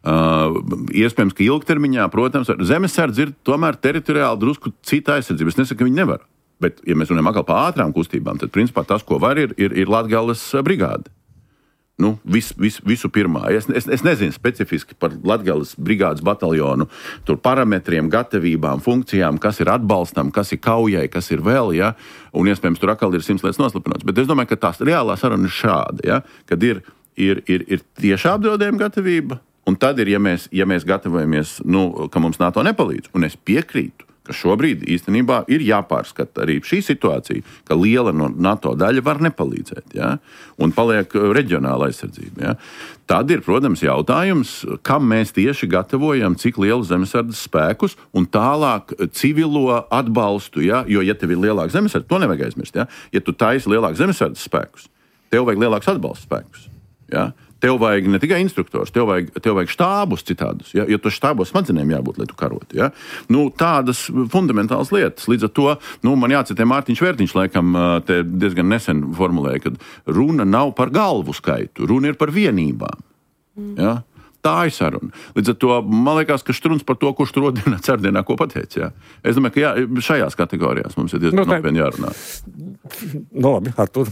Uh, iespējams, ka ilgtermiņā, protams, zemesardze ir tomēr teritoriāli drusku cita aizsardzība. Es nesaku, ka viņi nevar. Bet, ja mēs runājam atkal par ātrām kustībām, tad, principā, tas, ko var, ir, ir, ir Latgales brigāde. Nu, vis, vis, visu pirmā. Es, es, es nezinu specifiski par Latgales brigādes bataljonu, tur parametriem, gatavībām, funkcijām, kas ir atbalstam, kas ir kaujai, kas ir vēl, ja, un iespējams, tur atkal ir simts lietas noslapināts. Bet es domāju, ka tās reālā saruna ir šāda, ja, kad ir, ir, ir, ir tiešā apdraudējuma gatavība. Un tad ir, ja mēs, ja mēs gatavojamies, nu, ka mums NATO nepalīdz, un es piekrītu, ka šobrīd īstenībā ir jāpārskata arī šī situācija, ka liela no NATO daļa var nepalīdzēt, ja? Un paliek reģionāla aizsardzība. Ja? Tad ir, protams, jautājums, kam mēs tieši gatavojam, cik lielu zemesardzes spēkus un tālāk civilo atbalstu, ja? Jo, ja tev ir lielāks zemesardzes, to nevajag aizmirst. Ja, ja tu taisi lielāks zemesardzes spēkus, tev vajag lielāks atbalsta spēkus. Ja? Tev vajag ne tikai instruktors, tev vajag, tev vajag štābus citādus, ja? Jo tu štābos smadzenēm jābūt, lai tu karotu. Ja? Nu, tādas fundamentālas lietas. Līdz ar to, nu, man jācitē Mārtiņš Vērtiņš, laikam, te diezgan nesen formulēja, ka runa nav par galvu skaitu, runa ir par vienībām. Ja? Tā ir saruna. Līdz ar to, man liekas, ka Štruns par to, kurš tur rodienā, cerdienā, ko pateica. Jā. Es domāju, ka jā, šajās kategorijās mums ir diezgan no, nopietni jārunā. No, labi, Artur.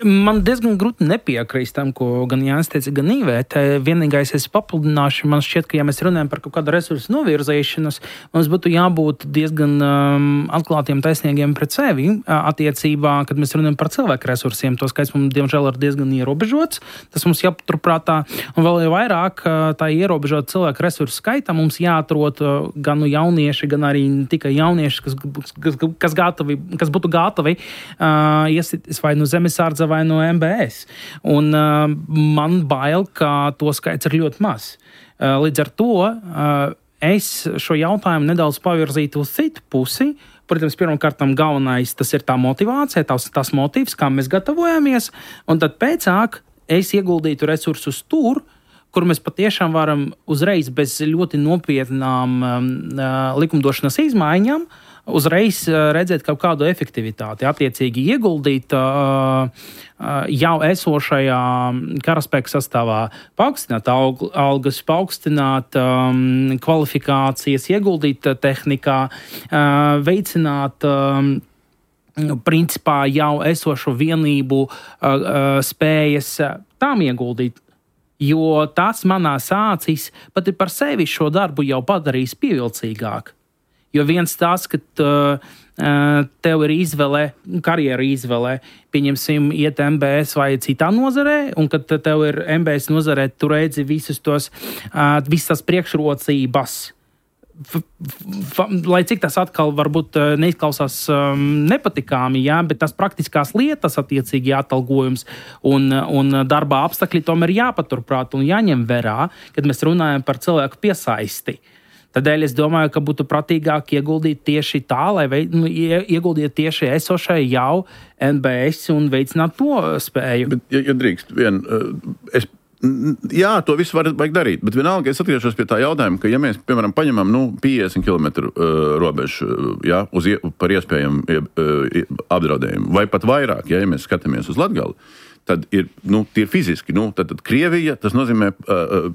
Man diezgan grūti nepiekrist tam, ko gan Jānis teica, gan Īvēt. Vienīgais es papildināšu, man šķiet, ka ja mēs runājam par kaut kādu resursu novirzīšanas, mums būtu jābūt diezgan um, atklātiem, taisnīgiem pret sevi attiecībā, kad mēs runājam par cilvēku resursiem. To skaits mums, diemžēl, ir diezgan ierobežots. Tas mums jāpaturprātā. Un vēl jau vairāk tā ierobežot cilvēku resursu skaitā mums jāatrod gan nu jaunieši, gan arī ne tikai jaunieši, kas, kas, kas, gatavi, kas būtu gatavi uh, iesitis vai no zemesardze vai no M B S. Un uh, man bail, ka to skaits ir ļoti maz. Uh, līdz ar to uh, es šo jautājumu nedaudz pavirzītu uz citu pusi. Protams, pirmkārt, galvenais tas ir tā motivācija, tās, tās motīvs, kā mēs gatavojamies, un tad pēcāk es ieguldītu resursus tur, kur mēs patiešām varam uzreiz bez ļoti nopietnām um, likumdošanas izmaiņām uzreiz uh, redzēt kaut kādu efektivitāti, attiecīgi ieguldīt uh, uh, jau esošajā karaspēka sastāvā, paaugstināt alg, algas, paaugstināt um, kvalifikācijas, ieguldīt uh, tehnikā, uh, veicināt um, principā jau esošo vienību uh, uh, spējas uh, tām ieguldīt. Jo tas manās acīs pat ir par sevi šo darbu jau padarījis pievilcīgāk. Jo viens tas, ka uh, tev ir izvēle, karjeru izvēle, pieņemsim, iet M B S vai citā nozarē, un kad tev ir M B S nozarē, tu redzi visus tos, uh, visas priekšrocības. F, f, lai cik tas atkal varbūt neizklausās um, nepatikāmi, jā, bet tās praktiskās lietas, attiecīgi atalgojums un, un darbā apstākļi tomēr jāpaturprāt un jāņem vērā, kad mēs runājam par cilvēku piesaisti. Tādēļ es domāju, ka būtu pratīgāk ieguldīt tieši tā, lai veid, nu, ieguldīt tieši esošai jau N B S un veicināt to spēju. Bet, ja, ja drīkst, vien, es jā, to visu var, vajag darīt, bet vienalga es atgriežos pie tā jautājuma, ka ja mēs, piemēram, paņemam nu, piecdesmit kilometru uh, robežu ja, uz, par iespējamu uh, apdraudējumu, vai pat vairāk, ja, ja mēs skatāmies uz Latgali, tad ir, nu, tie ir fiziski, nu, tad, tad Krievija, tas nozīmē uh,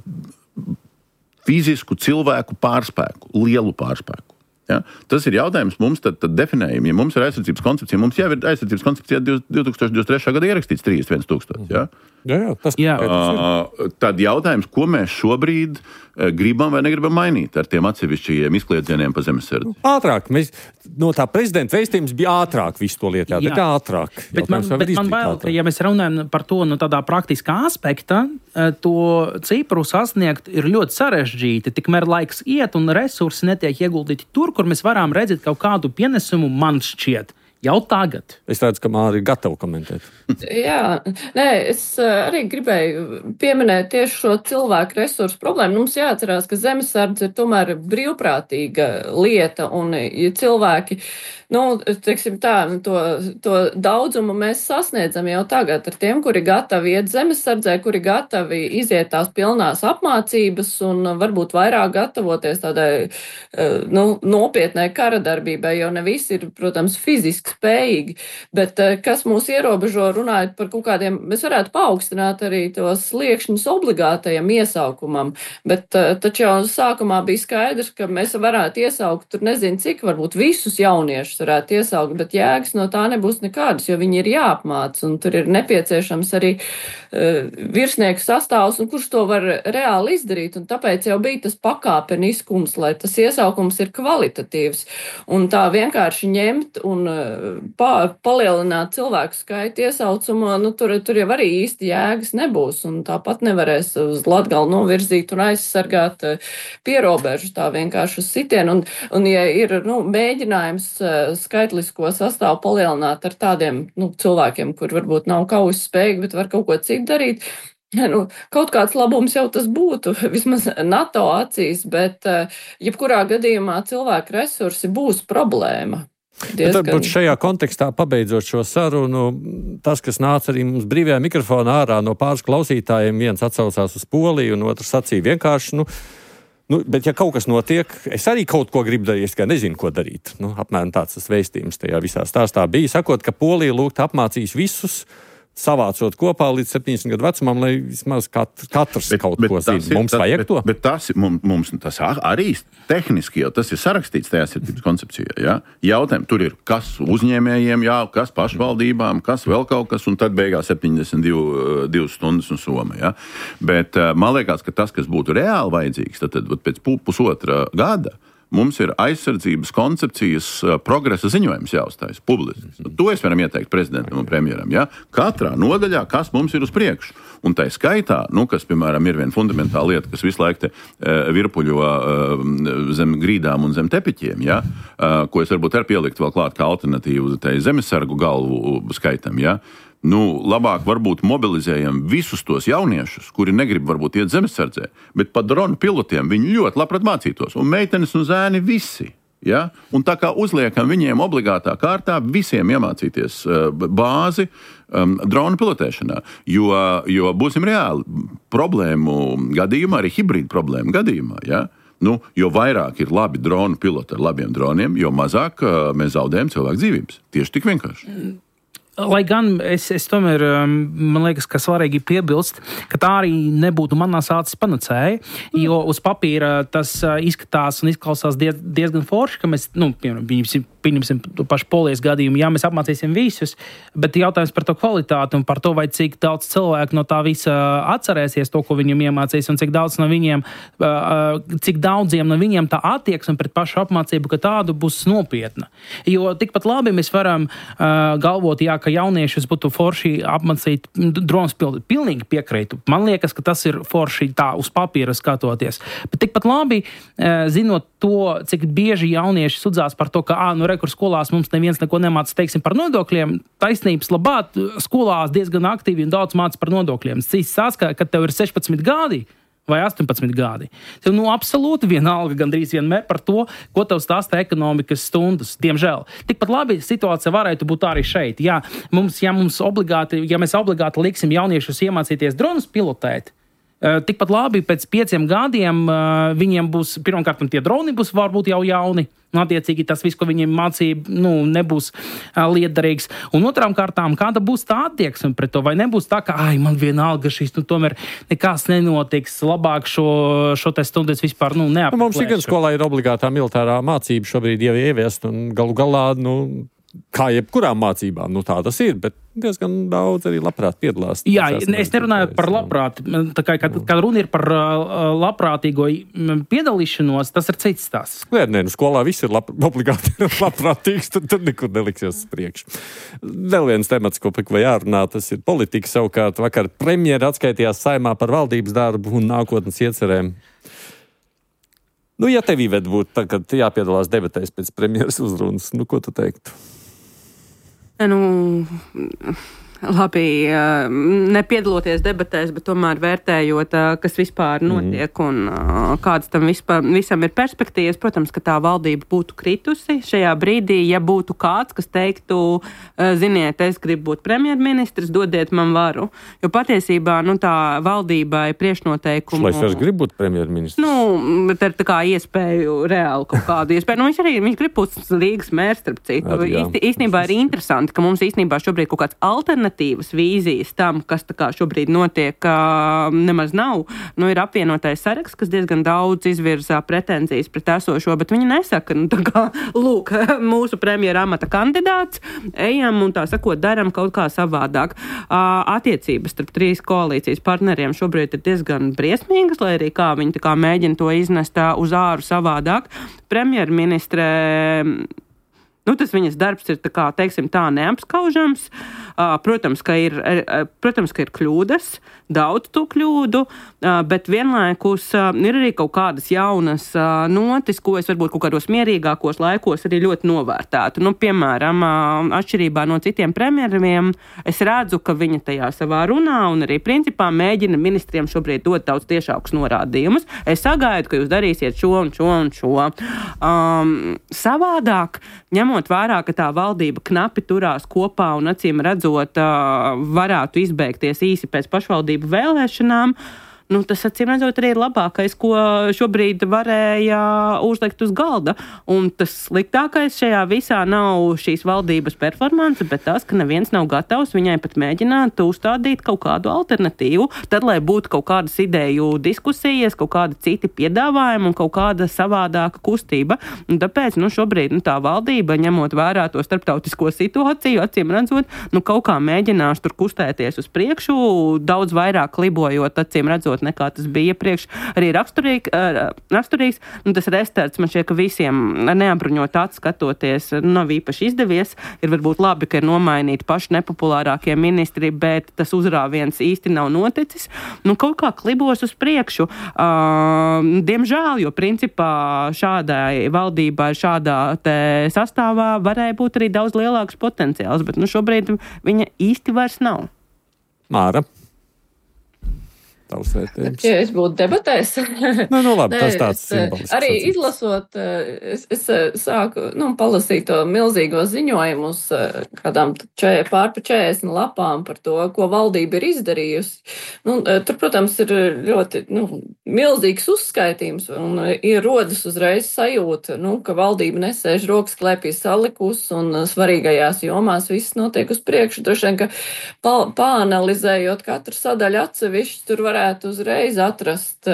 fizisku cilvēku pārspēku, lielu pārspēku. Ja? Tas ir jautājums mums, tad, tad definējam, ja mums ir aizsardzības koncepcija, mums jau ir aizsardzības koncepcija divtūkstoš divdesmit trešā gada ierakstīts trīsdesmit viens tūkstoši. Ja? Jā, jā, tas jā. Uh, tad jautājums, ko mēs šobrīd uh, gribam vai negribam mainīt ar tiem atsevišķajiem izkliedzieniem pa zemesardzi? Ātrāk. Mēs, no tā prezidenta vēstījums bija ātrāk visu to lietu. Jā, bet ātrāk. Bet man, bet man bail, ka ja mēs runājam par to no tādā praktiskā aspekta, to cipru sasniegt ir ļoti sarežģīti. Tikmēr laiks iet un resursi netiek ieguldīti tur, kur mēs varam redzēt kaut kādu pienesumu, man šķiet. Jau tagad. Es redzu, ka Māra ir gatava komentēt. Jā, nē, es arī gribēju pieminēt tieši šo cilvēku resursu problēmu. Mums jāatcerās, ka zemesardze ir tomēr brīvprātīga lieta, un ja cilvēki, nu, teiksim tā, to, to daudzumu mēs sasniedzam jau tagad ar tiem, kuri gatavi iet zemesardzē, kuri gatavi iziet tās pilnās apmācības un varbūt vairāk gatavoties tādai, nu, nopietnai karadarbībai, jo ne visi ir, protams, fiziski spējīgi, bet kas mūs ierobežo runājot par kaut kādiem, mēs varētu paaugstināt arī tos sliekšņus obligātajam iesaukumam, bet taču jau sākumā bija skaidrs, ka mēs varētu iesaukt, tur nezinu cik, varbūt visus jauniešus varētu iesaukt, bet jēgas no tā nebūs nekādas, jo viņi ir jāapmāc, un tur ir nepieciešams arī uh, virsnieku sastāvs, un kurš to var reāli izdarīt, un tāpēc jau bija tas pakāpeniskums, lai tas iesaukums ir kvalitatīvs, un tā vienkārši ņemt un Pa, palielināt cilvēku skaitu iesaucumā, nu, tur, tur jau arī īsti jēgas nebūs, un tāpat nevarēs uz Latgali novirzīt un aizsargāt pierobežu tā vienkārši uz sitienu, un, un ja ir, nu, mēģinājums skaitlisko sastāvu palielināt ar tādiem, nu, cilvēkiem, kur varbūt nav kaujas spējīgi, bet var kaut ko citu darīt, nu, kaut kāds labums jau tas būtu, vismaz NATO acīs, bet jebkurā gadījumā cilvēku resursi būs problēma. Diezgan... Varbūt šajā kontekstā, pabeidzot šo sarunu, tas, kas nāca arī mums brīvajā mikrofonā ārā no pāris klausītājiem, viens atsaucās uz Poliju un otrs sacīja vienkārši, nu, nu, bet ja kaut kas notiek, es arī kaut ko gribu darīt, es kā nezinu, ko darīt. Nu, apmēram tāds tas vēstījums tajā visā stāstā bija, sakot, ka Polija lūgt apmācīs visus, savācot kopā līdz septiņdesmit gadu vecumam, lai vismaz kat, katrs bet, kaut bet ko zina. Mums tas, vajag bet, to? Bet tas, mums, mums tas arī tehniski jau tas ir sarakstīts tajā sirdības koncepcijā. Ja? Jautājumi tur ir, kas uzņēmējiem, jā, kas pašvaldībām, kas vēl kaut kas, un tad beigās septiņdesmit divas stundas un soma. Ja? Bet man liekas, ka tas, kas būtu reāli vajadzīgs, tad, tad pēc pusotra gada mums ir aizsardzības koncepcijas progresa ziņojums jāuzstājas publiski. To es varam ieteikt prezidentam un premjeram. Ja? Katrā nodaļā, kas mums ir uz priekšu. Un tai skaitā, nu, kas, piemēram, ir viena fundamentāla lieta, kas visu laiku te, uh, virpuļo uh, zem grīdām un zem tepiķiem, ja? uh, ko es varbūt ar pielikt vēl klāt kā alternatīvu tai zemesargu galvu skaitam, ja? Nu, labāk varbūt mobilizējam visus tos jauniešus, kuri negrib varbūt iet zemesardzē, bet pa dronu pilotiem viņi ļoti labprāt mācītos. Un meitenes un zēni visi. Ja? Un tā kā uzliekam viņiem obligātā kārtā visiem iemācīties uh, bāzi um, dronu pilotēšanā. Jo, jo būsim reāli, problēmu gadījumā, arī hibrīdu problēmu gadījumā, ja? Nu, jo vairāk ir labi dronu piloti ar labiem droniem, jo mazāk uh, mēs zaudējam cilvēku dzīvības. Tieši tik vienkārši. Mm. Lai gan es, es tomēr, man liekas, ka svarīgi piebilst, ka tā arī nebūtu manās acis panacēja, jo uz papīra tas izskatās un izklausās diez, diezgan forši, ka mēs, nu, piemēram, pieņemsim to pašu Polijas gadījumu, jā, mēs apmācīsim visus, bet jautājums par to kvalitāti un par to, vai cik daudz cilvēku no tā visa atcerēsies to, ko viņam iemācīs, un cik daudz no viņiem, cik daudziem no viņiem tā attieksme pret pašu apmācību, ka tādu būs nopietna. Jo tikpat labi mēs varam galvot, jā, ka jauniešus būtu forši apmācīt dronas pildi. Pilnīgi piekrītu. Man liekas, ka tas ir forši tā uz papīra skatoties. Bet tikpat labi, zinot to, cik bieži jaunieši sudzās par to, ka, ā, nu, rekur skolās mums neviens neko nemāca, teiksim, par nodokļiem, taisnības labāt, skolās diezgan aktīvi un daudz māca par nodokļiem. Cīs saskā, kad tev ir sešpadsmit gadi, vai astoņpadsmit gadi. Tev nu absolūti vienalga gandrīz vienmēr par to, ko tev stāsta ekonomikas stundas, diemžēl. Tikpat labi situācija varētu būt arī šeit. Jā, mums, ja, mums obligāti, ja mēs obligāti liksim jauniešus iemācīties dronus pilotēt, tikpat labi pēc pieciem gadiem viņiem būs, pirmkārt, tie droni būs varbūt jau jauni, un attiecīgi tas viss, ko viņiem mācīja, nu, nebūs lietderīgs. Un otrām kārtām, kāda būs tā attieksme pret to, vai nebūs tā, ka, ai, man vienalga šis, nu, tomēr nekas nenotiks, labāk šo, šo te stundu es vispār, nu, neapmeklēšu. Nu, mums gan skolā ir obligātā militārā mācība šobrīd jau ieviest, un galu galā, nu, kā jebkurām mācībām, nu tā tas ir, bet diezgan daudz arī labprāt piedalās. Jā, es nerunāju par labprāt, tā kā, kad, kad runa ir par labprātīgo piedalīšanos, tas ir cits stāsts. Nē, nē, nu skolā viss ir lab, obligāti labprātīgs, tad, tad nekur neliksies priekš. Vēl viens temats, ko vai jārunā, tas ir politika. Savukārt vakar premjera atskaitījās Saeimā par valdības darbu un nākotnes iecerēm. Nu, ja tev Iveta būtu tagad jāpiedalās debatēs pēc premjeras uzrunas, nu, ko tu teiktu? Nu, labi, nepiedaloties debatēs, bet tomēr vērtējot, kas vispār notiek un kādas tam vispār, visam ir perspektīvas. Protams, ka tā valdība būtu kritusi šajā brīdī, ja būtu kāds, kas teiktu, ziniet, es gribu būt premjerministrs, dodiet man varu. Jo patiesībā, nu, tā valdībai priekšnoteikumu... Šlais vairs grib būt premjerministrs? Nu, tā ir tā kā iespēju, reāli kaut kādu iespēju. Nu, viņš arī, viņš grib būt Līgas mērs, starp citu. Īsti, īstenībā ir interesanti, ka mums īstenībā šobrīd kaut kāds alternatīvs vīzijas tam, kas tā kā šobrīd notiek, nemaz nav. Nu, ir apvienotais saraksts, kas diezgan daudz izvirzā pretenzijas pret esošo, bet viņi nesaka, nu, tā kā, lūk, mūsu premjera amata kandidāts, ejam un tā sakot, daram kaut kā savādāk. Attiecības starp trīs koalīcijas partneriem šobrīd ir diezgan briesmīgas, lai arī kā viņi tā kā mēģina to iznest uz āru savādāk. Premjerministre... Nu, tas viņas darbs ir, tā kā, teiksim, tā neapskaužams. Protams, ka ir, protams, ka ir kļūdas, daudz to kļūdu, bet vienlaikus ir arī kaut kādas jaunas notis, ko es varbūt kaut kādos mierīgākos laikos arī ļoti novērtētu. Nu, piemēram, atšķirībā no citiem premjeriem, es redzu, ka viņa tajā savā runā un arī principā mēģina ministriem šobrīd dot daudz tiešākus norādījumus. Es sagaidu, ka jūs darīsiet šo un šo un šo. Um, savādāk, ņemot vērā, ka tā valdība knapi turās kopā un acīm redzot varētu izbeigties īsi pēc pašvaldību vēlēšanām, nu, tas acīm redzot arī ir labākais, ko šobrīd varēja uzlikt uz galda. Un tas sliktākais šajā visā nav šīs valdības performance, bet tas, ka neviens nav gatavs viņai pat mēģināt uzstādīt kaut kādu alternatīvu, tad, lai būtu kaut kādas ideju diskusijas, kaut kāda citi piedāvājumi un kaut kāda savādāka kustība. Un tāpēc, nu, šobrīd, nu, tā valdība, ņemot vērā to starptautisko situāciju, acīm redzot, nu, kaut kā mēģinās tur kustēties uz priekšu, daudz vairāk klibojot, acīm redzot, nekā tas bija iepriekš. Arī raksturīg, raksturīgs. Nu, tas restarts man šķiet, ka visiem neapbruņot atskatoties nav īpaši izdevies. Ir varbūt labi, ka ir nomainīti paši nepopulārākie ministri, bet tas uzrāviens īsti nav noticis. Nu, kaut kā klibos uz priekšu. Uh, diemžēl, jo principā šādai valdībai, šādā te sastāvā varēja būt arī daudz lielāks potenciāls, bet nu, šobrīd viņa īsti vairs nav. Māra. Ja es būtu debatēs, nu, nu, labi, tas tāds simbolisks. Arī izlasot, es, es sāku nu, palasīt to milzīgo ziņojumu uz kādām čē, pār pa četrdesmit lapām par to, ko valdība ir izdarījusi. Nu, tur, protams, ir ļoti nu, milzīgs uzskaitījums un ir rodas uzreiz sajūta, nu, ka valdība nesēž rokas klēpī salikus un svarīgajās jomās viss notiek uz priekšu. Droši vien, ka pa, pāanalizējot katru sadaļu atsevišķi, tur varētu uzreiz atrast,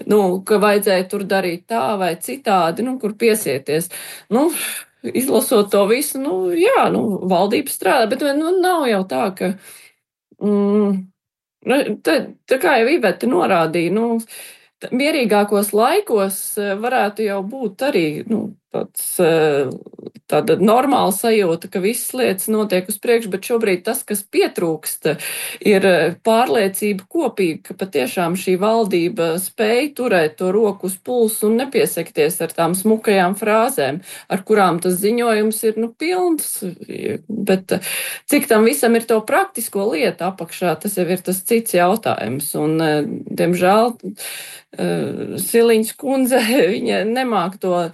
nu, ka vajadzēja tur darīt tā vai citādi, nu, kur piesieties. Nu, izlasot to visu, nu, jā, nu, valdība strādā, bet, nu, nav jau tā, ka, mm, tā, tā kā jau Iveta norādīja, nu, mierīgākos laikos varētu jau būt arī, nu, tāds, tāda normāla sajūta, ka visas lietas notiek uz priekšu, bet šobrīd tas, kas pietrūkst, ir pārliecība kopīga, ka patiešām šī valdība spēj turēt to roku uz pulsu un nepiesekties ar tām smukajām frāzēm, ar kurām tas ziņojums ir, nu, pilns, bet cik tam visam ir to praktisko lietu apakšā, tas jau ir tas cits jautājums, un, diemžēl, Siliņas kundze, viņa nemāk to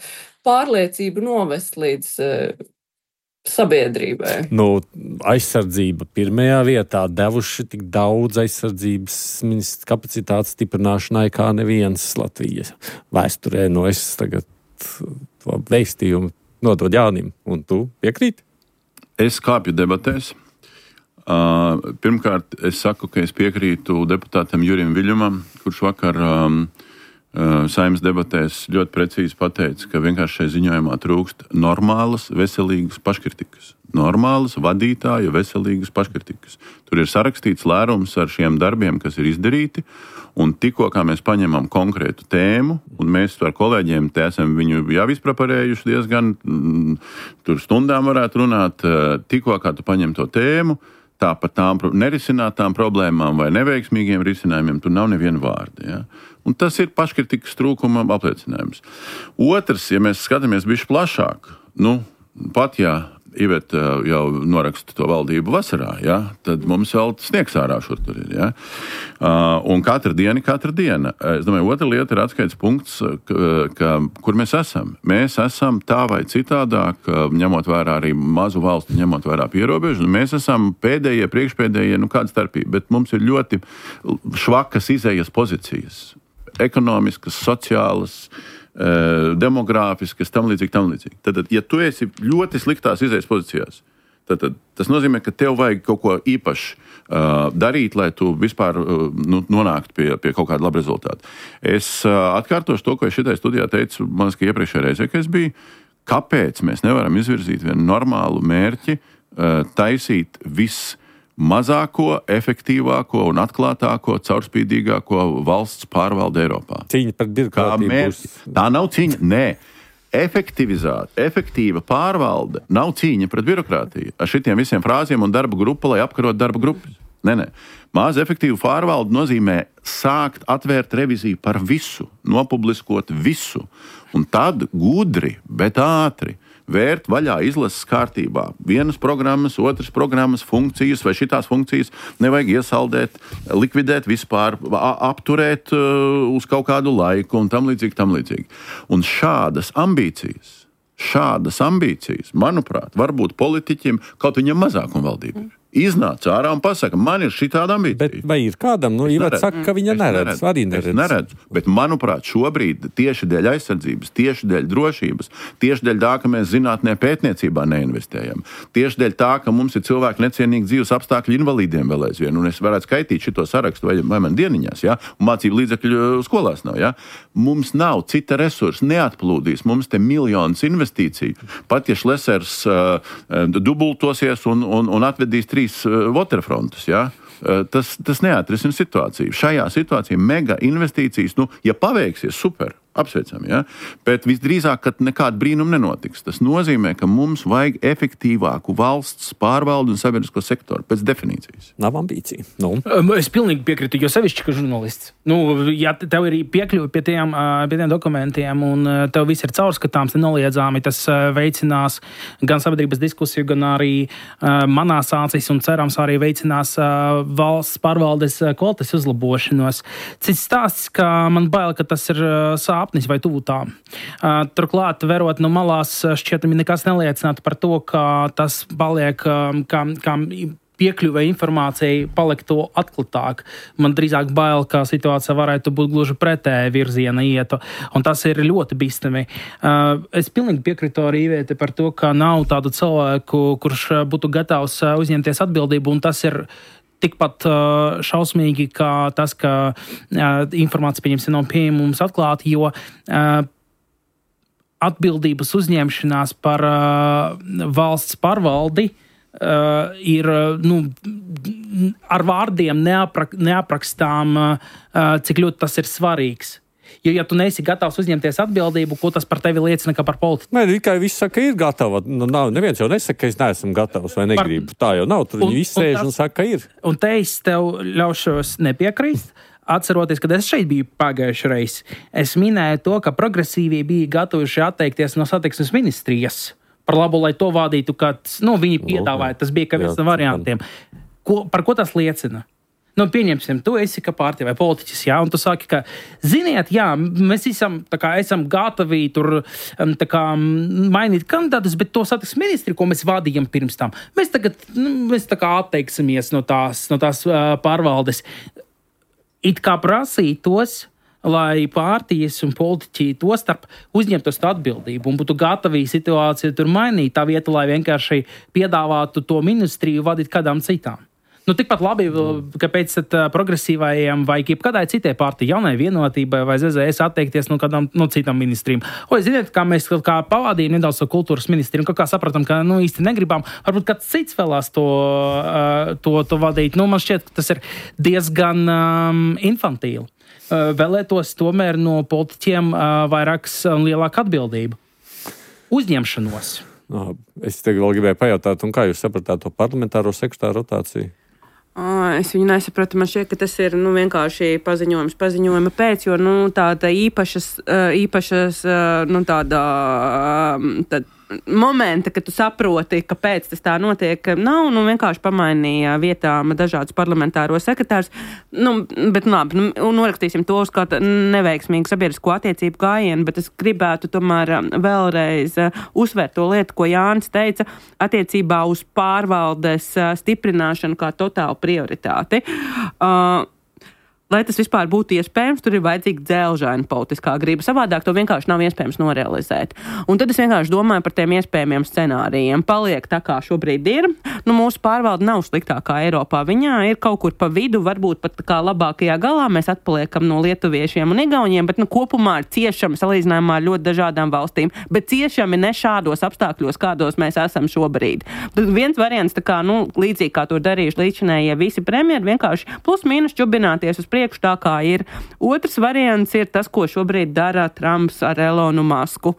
pārliecību novest līdz uh, sabiedrībai. Nu, aizsardzība pirmajā vietā devuši tik daudz aizsardzības ministrs kapacitātes stiprināšanai kā neviens Latvijas vēsturē. Nu, es tagad to veistījumu nodod Jānim, un tu piekrīti? Es kāpju debatēs. Uh, pirmkārt, es saku, ka es piekrītu deputātam Jurim Viļņumam, kurš vakar um, uh, Saeimas debatēs ļoti precīzi pateica, ka vienkārši šai ziņojumā trūkst normālas, veselīgas paškritikas. Normālas, vadītāja, veselīgas paškritikas. Tur ir sarakstīts lērums ar šiem darbiem, kas ir izdarīti, un tikko kā mēs paņemam konkrētu tēmu, un mēs ar kolēģiem te esam viņu jau izpreparējuši diezgan, mm, tur stundām varētu runāt, tikko kā tu paņem to tēmu, tā par tām nerisinātām problēmām vai neveiksmīgiem risinājumiem, tur nav neviena vārda. Ja? Un tas ir paškritikas trūkuma apliecinājums. Otrs, ja mēs skatāmies bišķi plašāk, nu, pat ja Iveta jau noraksta to valdību vasarā, ja? Tad mums vēl sniegs ārā šur tur ir. Ja? Uh, un katra diena, katra diena. Es domāju, otra lieta ir atskaits punkts, ka, ka, kur mēs esam. Mēs esam tā vai citādāk, ņemot vērā arī mazu valstu, ņemot vērā pierobežu, un mēs esam pēdējie, priekšpēdējie, nu kāda starpība, bet mums ir ļoti švakas izējas pozīcijas. Ekonomiskas, sociālas, demogrāfiskas, tam līdzīgi, tam līdzīgi. Tad, ja tu esi ļoti sliktās izējas pozīcijās, tad, tad tas nozīmē, ka tev vajag kaut ko īpaši uh, darīt, lai tu vispār uh, nu, nonāktu pie, pie kaut kāda laba rezultāta. Es uh, atkārtošu to, ko es šitai studijā teicu, man liekas, ka iepriekšējā reizē, ka es biju, kāpēc mēs nevaram izvirzīt vienu normālu mērķi, uh, taisīt viss mazāko, efektīvāko un atklātāko, caurspīdīgāko valsts pārvalde Eiropā. Cīņa par birokrātiju mēs, būs. Tā nav cīņa, nē. Efektivizēt, efektīva pārvalde nav cīņa pret birokrātiju. Ar šitiem visiem frāziem un darba grupa, lai apkarot darba grupas. Nē, nē. Maz efektīva pārvalde nozīmē sākt atvērt reviziju par visu, nopubliskot visu. Un tad gudri, bet ātri vērt vaļā izlases kārtībā. Vienas programmas, otras programmas, funkcijas vai šitās funkcijas nevajag iesaldēt, likvidēt vispār, apturēt uh, uz kaut kādu laiku un tam līdzīgi, tam līdzīgi. Un šādas ambīcijas, šādas ambīcijas, manuprāt, varbūt politiķim, kaut viņam mazākuma valdība ir. Iznāca ārā un pasaka, man ir šitāda ambīcija. Bet vai ir kādam? Nu, Iveta saka, ka viņa neredz, arī neredz. Es neredzu, bet manuprāt, šobrīd tieši dēļ aizsardzības, tieši dēļ drošības, tieši dēļ tā, ka mēs zinātnē pētniecībā neinvestējam, tieši dēļ tā, ka mums ir cilvēki necienīgi dzīves apstākļi invalīdiem vēl aizvien, un es varētu skaitīt šito sarakstu vai, vai man dieniņās, ja? Un mācību līdzekļu skolās nav. Ja? Mums nav cita resursa, neatplūdīs, mums te miljonus investīciju. Pat ja Šlesers uh, dubultosies un, un, un atvedīs trīs waterfrontus, ja? tas, tas neatrisina situāciju. Šajā situācijā mega investīcijas, nu, ja paveiksies, super, apsveicam, ja? Bet visdrīzāk, ka nekāda brīnuma nenotiks. Tas nozīmē, ka mums vajag efektīvāku valsts pārvaldu un sabiedrisko sektoru pēc definīcijas. Nav ambīcija. Nu. Es pilnīgi piekrītu, jo sevišķi, ka žurnālists. Nu, ja tev ir piekļuvi pie tiem, pie tiem dokumentiem un tev viss ir caurskatāms, nenoliedzāmi, tas veicinās gan sabiedrības diskusiju, gan arī manās acīs un cerams arī veicinās valsts pārvaldes kvalitātes uzlabošanos. Cits stāsts, ka man bail, ka tas ir sāpnis vai tuvu tām. Turklāt, verot no malās, šķietami nekas neliecinātu par to, ka tas paliek, kā, kā piekļuve informācijai paliek to atklātāk. Man drīzāk bail, ka situācija varētu būt gluži pretēji virziena ietu, un tas ir ļoti bīstami. Es pilnīgi piekrītu arī Ivete par to, ka nav tādu cilvēku, kurš būtu gatavs uzņemties atbildību, un tas ir tikpat uh, šausmīgi, kā tas, ka uh, informācija, pieņemsim, nav pieejama mums atklāti, jo uh, atbildības uzņemšanās par uh, valsts pārvaldi uh, ir uh, nu, ar vārdiem neaprak, neaprakstām, uh, cik ļoti tas ir svarīgs. Jo, ja tu neesi gatavs uzņemties atbildību, ko tas par tevi liecina, kā par politiku? Nē, tikai viss saka, ka ir gatava. Nu, nav, neviens jau nesaka, ka es neesmu gatavs vai negribu. Par... Tā jau nav. Tur viņi viss sēž un, un saka, ka ir. Un te es tev ļaušos nepiekrīst. Atceroties, kad es šeit biju pagājušajā reizē, es minēju to, ka progresīvie bija gatavuši atteikties no satiksmes ministrijas par labu, lai to vadītu, kad nu, viņi piedāvāja. Tas bija kā viens no variantiem. Ko, par ko tas liecina? Nu, pieņemsim, tu esi kā partija vai politiķis, jā, un tu saki, ka, ziniet, jā, mēs esam, tā kā, esam gatavi tur tā kā, mainīt kandidātus, bet to satiksmes ministri, ko mēs vadījām pirms tam, mēs tagad, nu, mēs tā kā atteiksimies no tās, no tās uh, pārvaldes. It kā prasītos, lai partijas un politiķi to starp uzņemtos atbildību un būtu gatavi situāciju tur mainīt, tā vieta, lai vienkārši piedāvātu to ministriju vadīt kādām citām. Nu, tikpat labi, kāpēc progresīvajiem vai kādai citai partijai, jaunai vienotībai vai Z Z S atteikties no kādām no citām ministriem. O, ziniet, kā mēs kā pavādījām nedaudz to kultūras ministriju, un kā, kā sapratam, ka nu, īsti negribam, varbūt kāds cits vēlās to, to, to vadīt. Nu, man šķiet, ka tas ir diezgan um, infantīli. Uh, vēlētos tomēr no politiķiem uh, vairākas un lielāku atbildību. Uzņemšanos. No, es tev vēl gribēju pajautāt, un kā jūs sapratāt to parlamentāro sekretāru rotāciju? Es viņu nesapratu. Man šķiet, ka tas ir nu, vienkārši paziņojums paziņojuma pēc, jo nu, tāda īpašas, īpašas nu, tāda, tad, momenta, kad tu saproti, kāpēc tas tā notiek, nav, nu vienkārši pamainīja vietām dažādus parlamentāro sekretārus, nu, bet labi, nu, norakstīsim to uz kādu neveiksmīgu sabiedrisko attiecību gājienu, bet es gribētu tomēr vēlreiz uzsvērt to lietu, ko Jānis teica, attiecībā uz pārvaldes stiprināšanu kā totālu prioritāti. Uh, Lai tas vispār būtu iespējams, tur ir vajadzīga dzelžaina politiskā griba. Savādāk to vienkārši nav iespējams norealizēt. Un tad es vienkārši domāju par tiem iespējamiem scenārijiem. Paliek tā, kā šobrīd ir. Nu, mūsu pārvalde nav sliktākā Eiropā. Viņā ir kaut kur pa vidu, varbūt pat kā labākajā galā. Mēs atpaliekam no lietuviešiem un igauniem, bet nu, kopumā ir ciešami salīdzinājumā ar ļoti dažādām valstīm. Bet ciešami ne šādos apstākļos, kādos mēs esam šobrīd. Tad viens variants, tā kā, nu, līdzīgi kā to darījuši līdzinējie visi premjeri, vienkārši plus mīnus čubināties uz priekšu tā kā ir. Otrs variants ir tas, ko šobrīd dara Trumps ar Elonu Masku.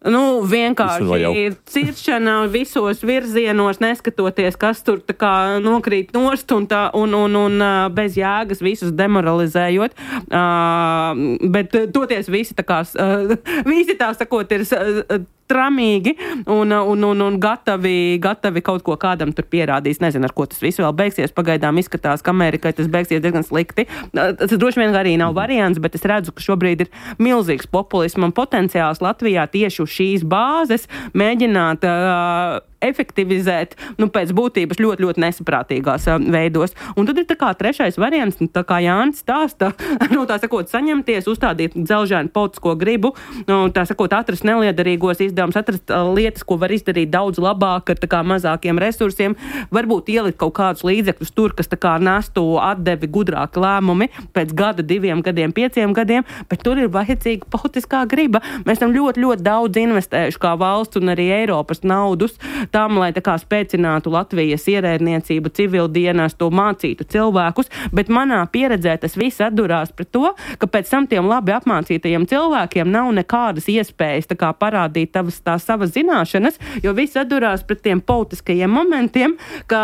Nu, vienkārši ir ciršana visos virzienos, neskatoties, kas tur tā kā nokrīt nost un, tā, un, un, un bez jēgas visus demoralizējot. Uh, bet toties visi tā kā, uh, visi tā sakot, ir uh, tramīgi un, un, un, un gatavi, gatavi kaut ko kādam tur pierādīs. Nezinu, ar ko tas viss vēl beigsies. Pagaidām izskatās, ka Amerikai tas beigsies diezgan slikti. Tas droši vien arī nav variants, bet es redzu, ka šobrīd ir milzīgs populisma potenciāls Latvijā tieši uz šīs bāzes mēģināt uh, efektivizēt, nu, pēc būtības ļoti, ļoti nesaprātīgās uh, veidos. Un tad ir tā kā trešais variants, nu, tā kā Jānis stāsta, nu, tā sakot, saņemties, uzstādīt dzelžainu politisko gribu, nu, tā sakot, atrast neliederīgos izdevumus, atrast uh, lietas, ko var izdarīt daudz labāk ar tā kā mazākiem resursiem, varbūt ielikt kaut kādus līdzekļus tur, kas tā kā nestu atdevi gudrāki lēmumi pēc gada, diviem gadiem, pieciem gadiem, bet tur ir vajadzīga politiskā griba. Mēs esam ļoti, ļoti daudz investējuši kā valsts un arī Eiropas naudus tam, lai tā kā spēcinātu Latvijas ierēdniecību, civildienestu, mācītu cilvēkus, bet manā pieredzē tas viss atdurās pret to, ka pēc tam tiem labi apmācītajiem cilvēkiem nav nekādas iespējas tā kā parādīt tavas, tās savas zināšanas, jo viss atdurās pret tiem politiskajiem momentiem, ka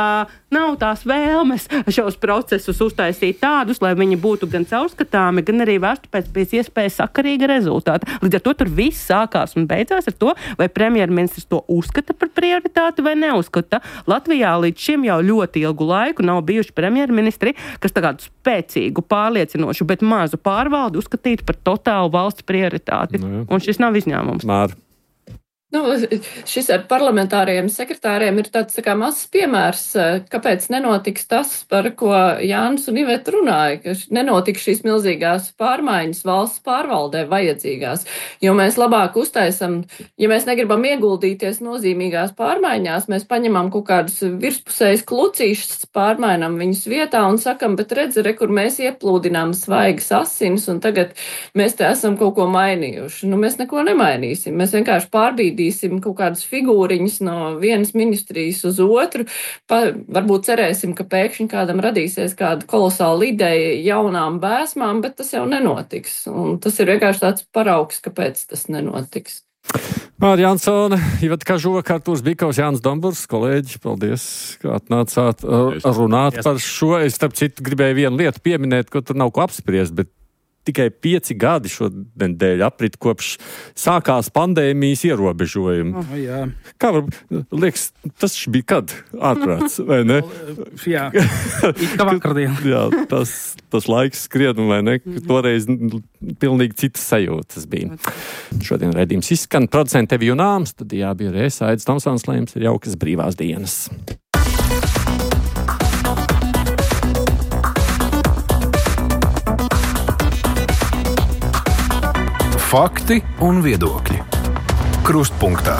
nav tās vēlmes šos procesus uztaisīt tādus, lai viņi būtu gan caurskatāmi, gan arī vērstu pēc pēc iespējas sakarīga rezultāta. Līdz ar to tur viss sākās un beidzās ar to, vai premjerministrs to uzskata par prioritāti vai neuzskata. Latvijā līdz šim jau ļoti ilgu laiku nav bijuši premjerministri, kas tādu spēcīgu, pārliecinošu, bet mazu pārvaldu uzskatītu par totālu valsts prioritāti. Nu, un šis nav izņēmums. Māri. Nu, šis ar parlamentāriem sekretāriem ir tāds tā kā mazs piemērs, kāpēc nenotiks tas, par ko Jānis un Iveta runāja, ka nenotiks šīs milzīgās pārmaiņas valsts pārvaldē vajadzīgās, jo mēs labāk uztaisam, ja mēs negribam ieguldīties nozīmīgās pārmaiņās, mēs paņemam kaut kādus virspusējas klucīšus, pārmainam viņus vietā un sakam, bet redzi, re, kur mēs ieplūdinām svaigas asinis un tagad mēs te esam kaut ko mainījuši. Nu, mēs neko nemainīsim, mēs vienkārši pārbīdīsim kaut kādas figūriņas no vienas ministrijas uz otru. Pa, varbūt cerēsim, ka pēkšņi kādam radīsies kāda kolosāla ideja jaunām bēsmām, bet tas jau nenotiks. Un tas ir vienkārši tāds paraugs, kāpēc tas nenotiks. Māri Jansone, Iveta Kažoka, Artūrs Bikovs, Jānis Domburs, kolēģi, paldies, ka atnācāt runāt par šo. Es, starp citu, gribēju vienu lietu pieminēt, ko tur nav ko apspriest, bet tikai pieci gadi šodien dēļ aprit kopš sākās pandēmijas ierobežojumi. Oh, jā. Kā var, liekas, tas bija kad ārprāts, vai ne? Jā, it kā vakardien. Jā, tas, tas laiks skrien, vai ne? Toreiz pilnīgi citas sajūtas bija. Šodien raidījums izskan. Producenti Evi Junāms, tad jābija reiz Aidis Tomsons, lai jums ir jaukas brīvās dienas. Fakti un viedokļi. Krustpunktā.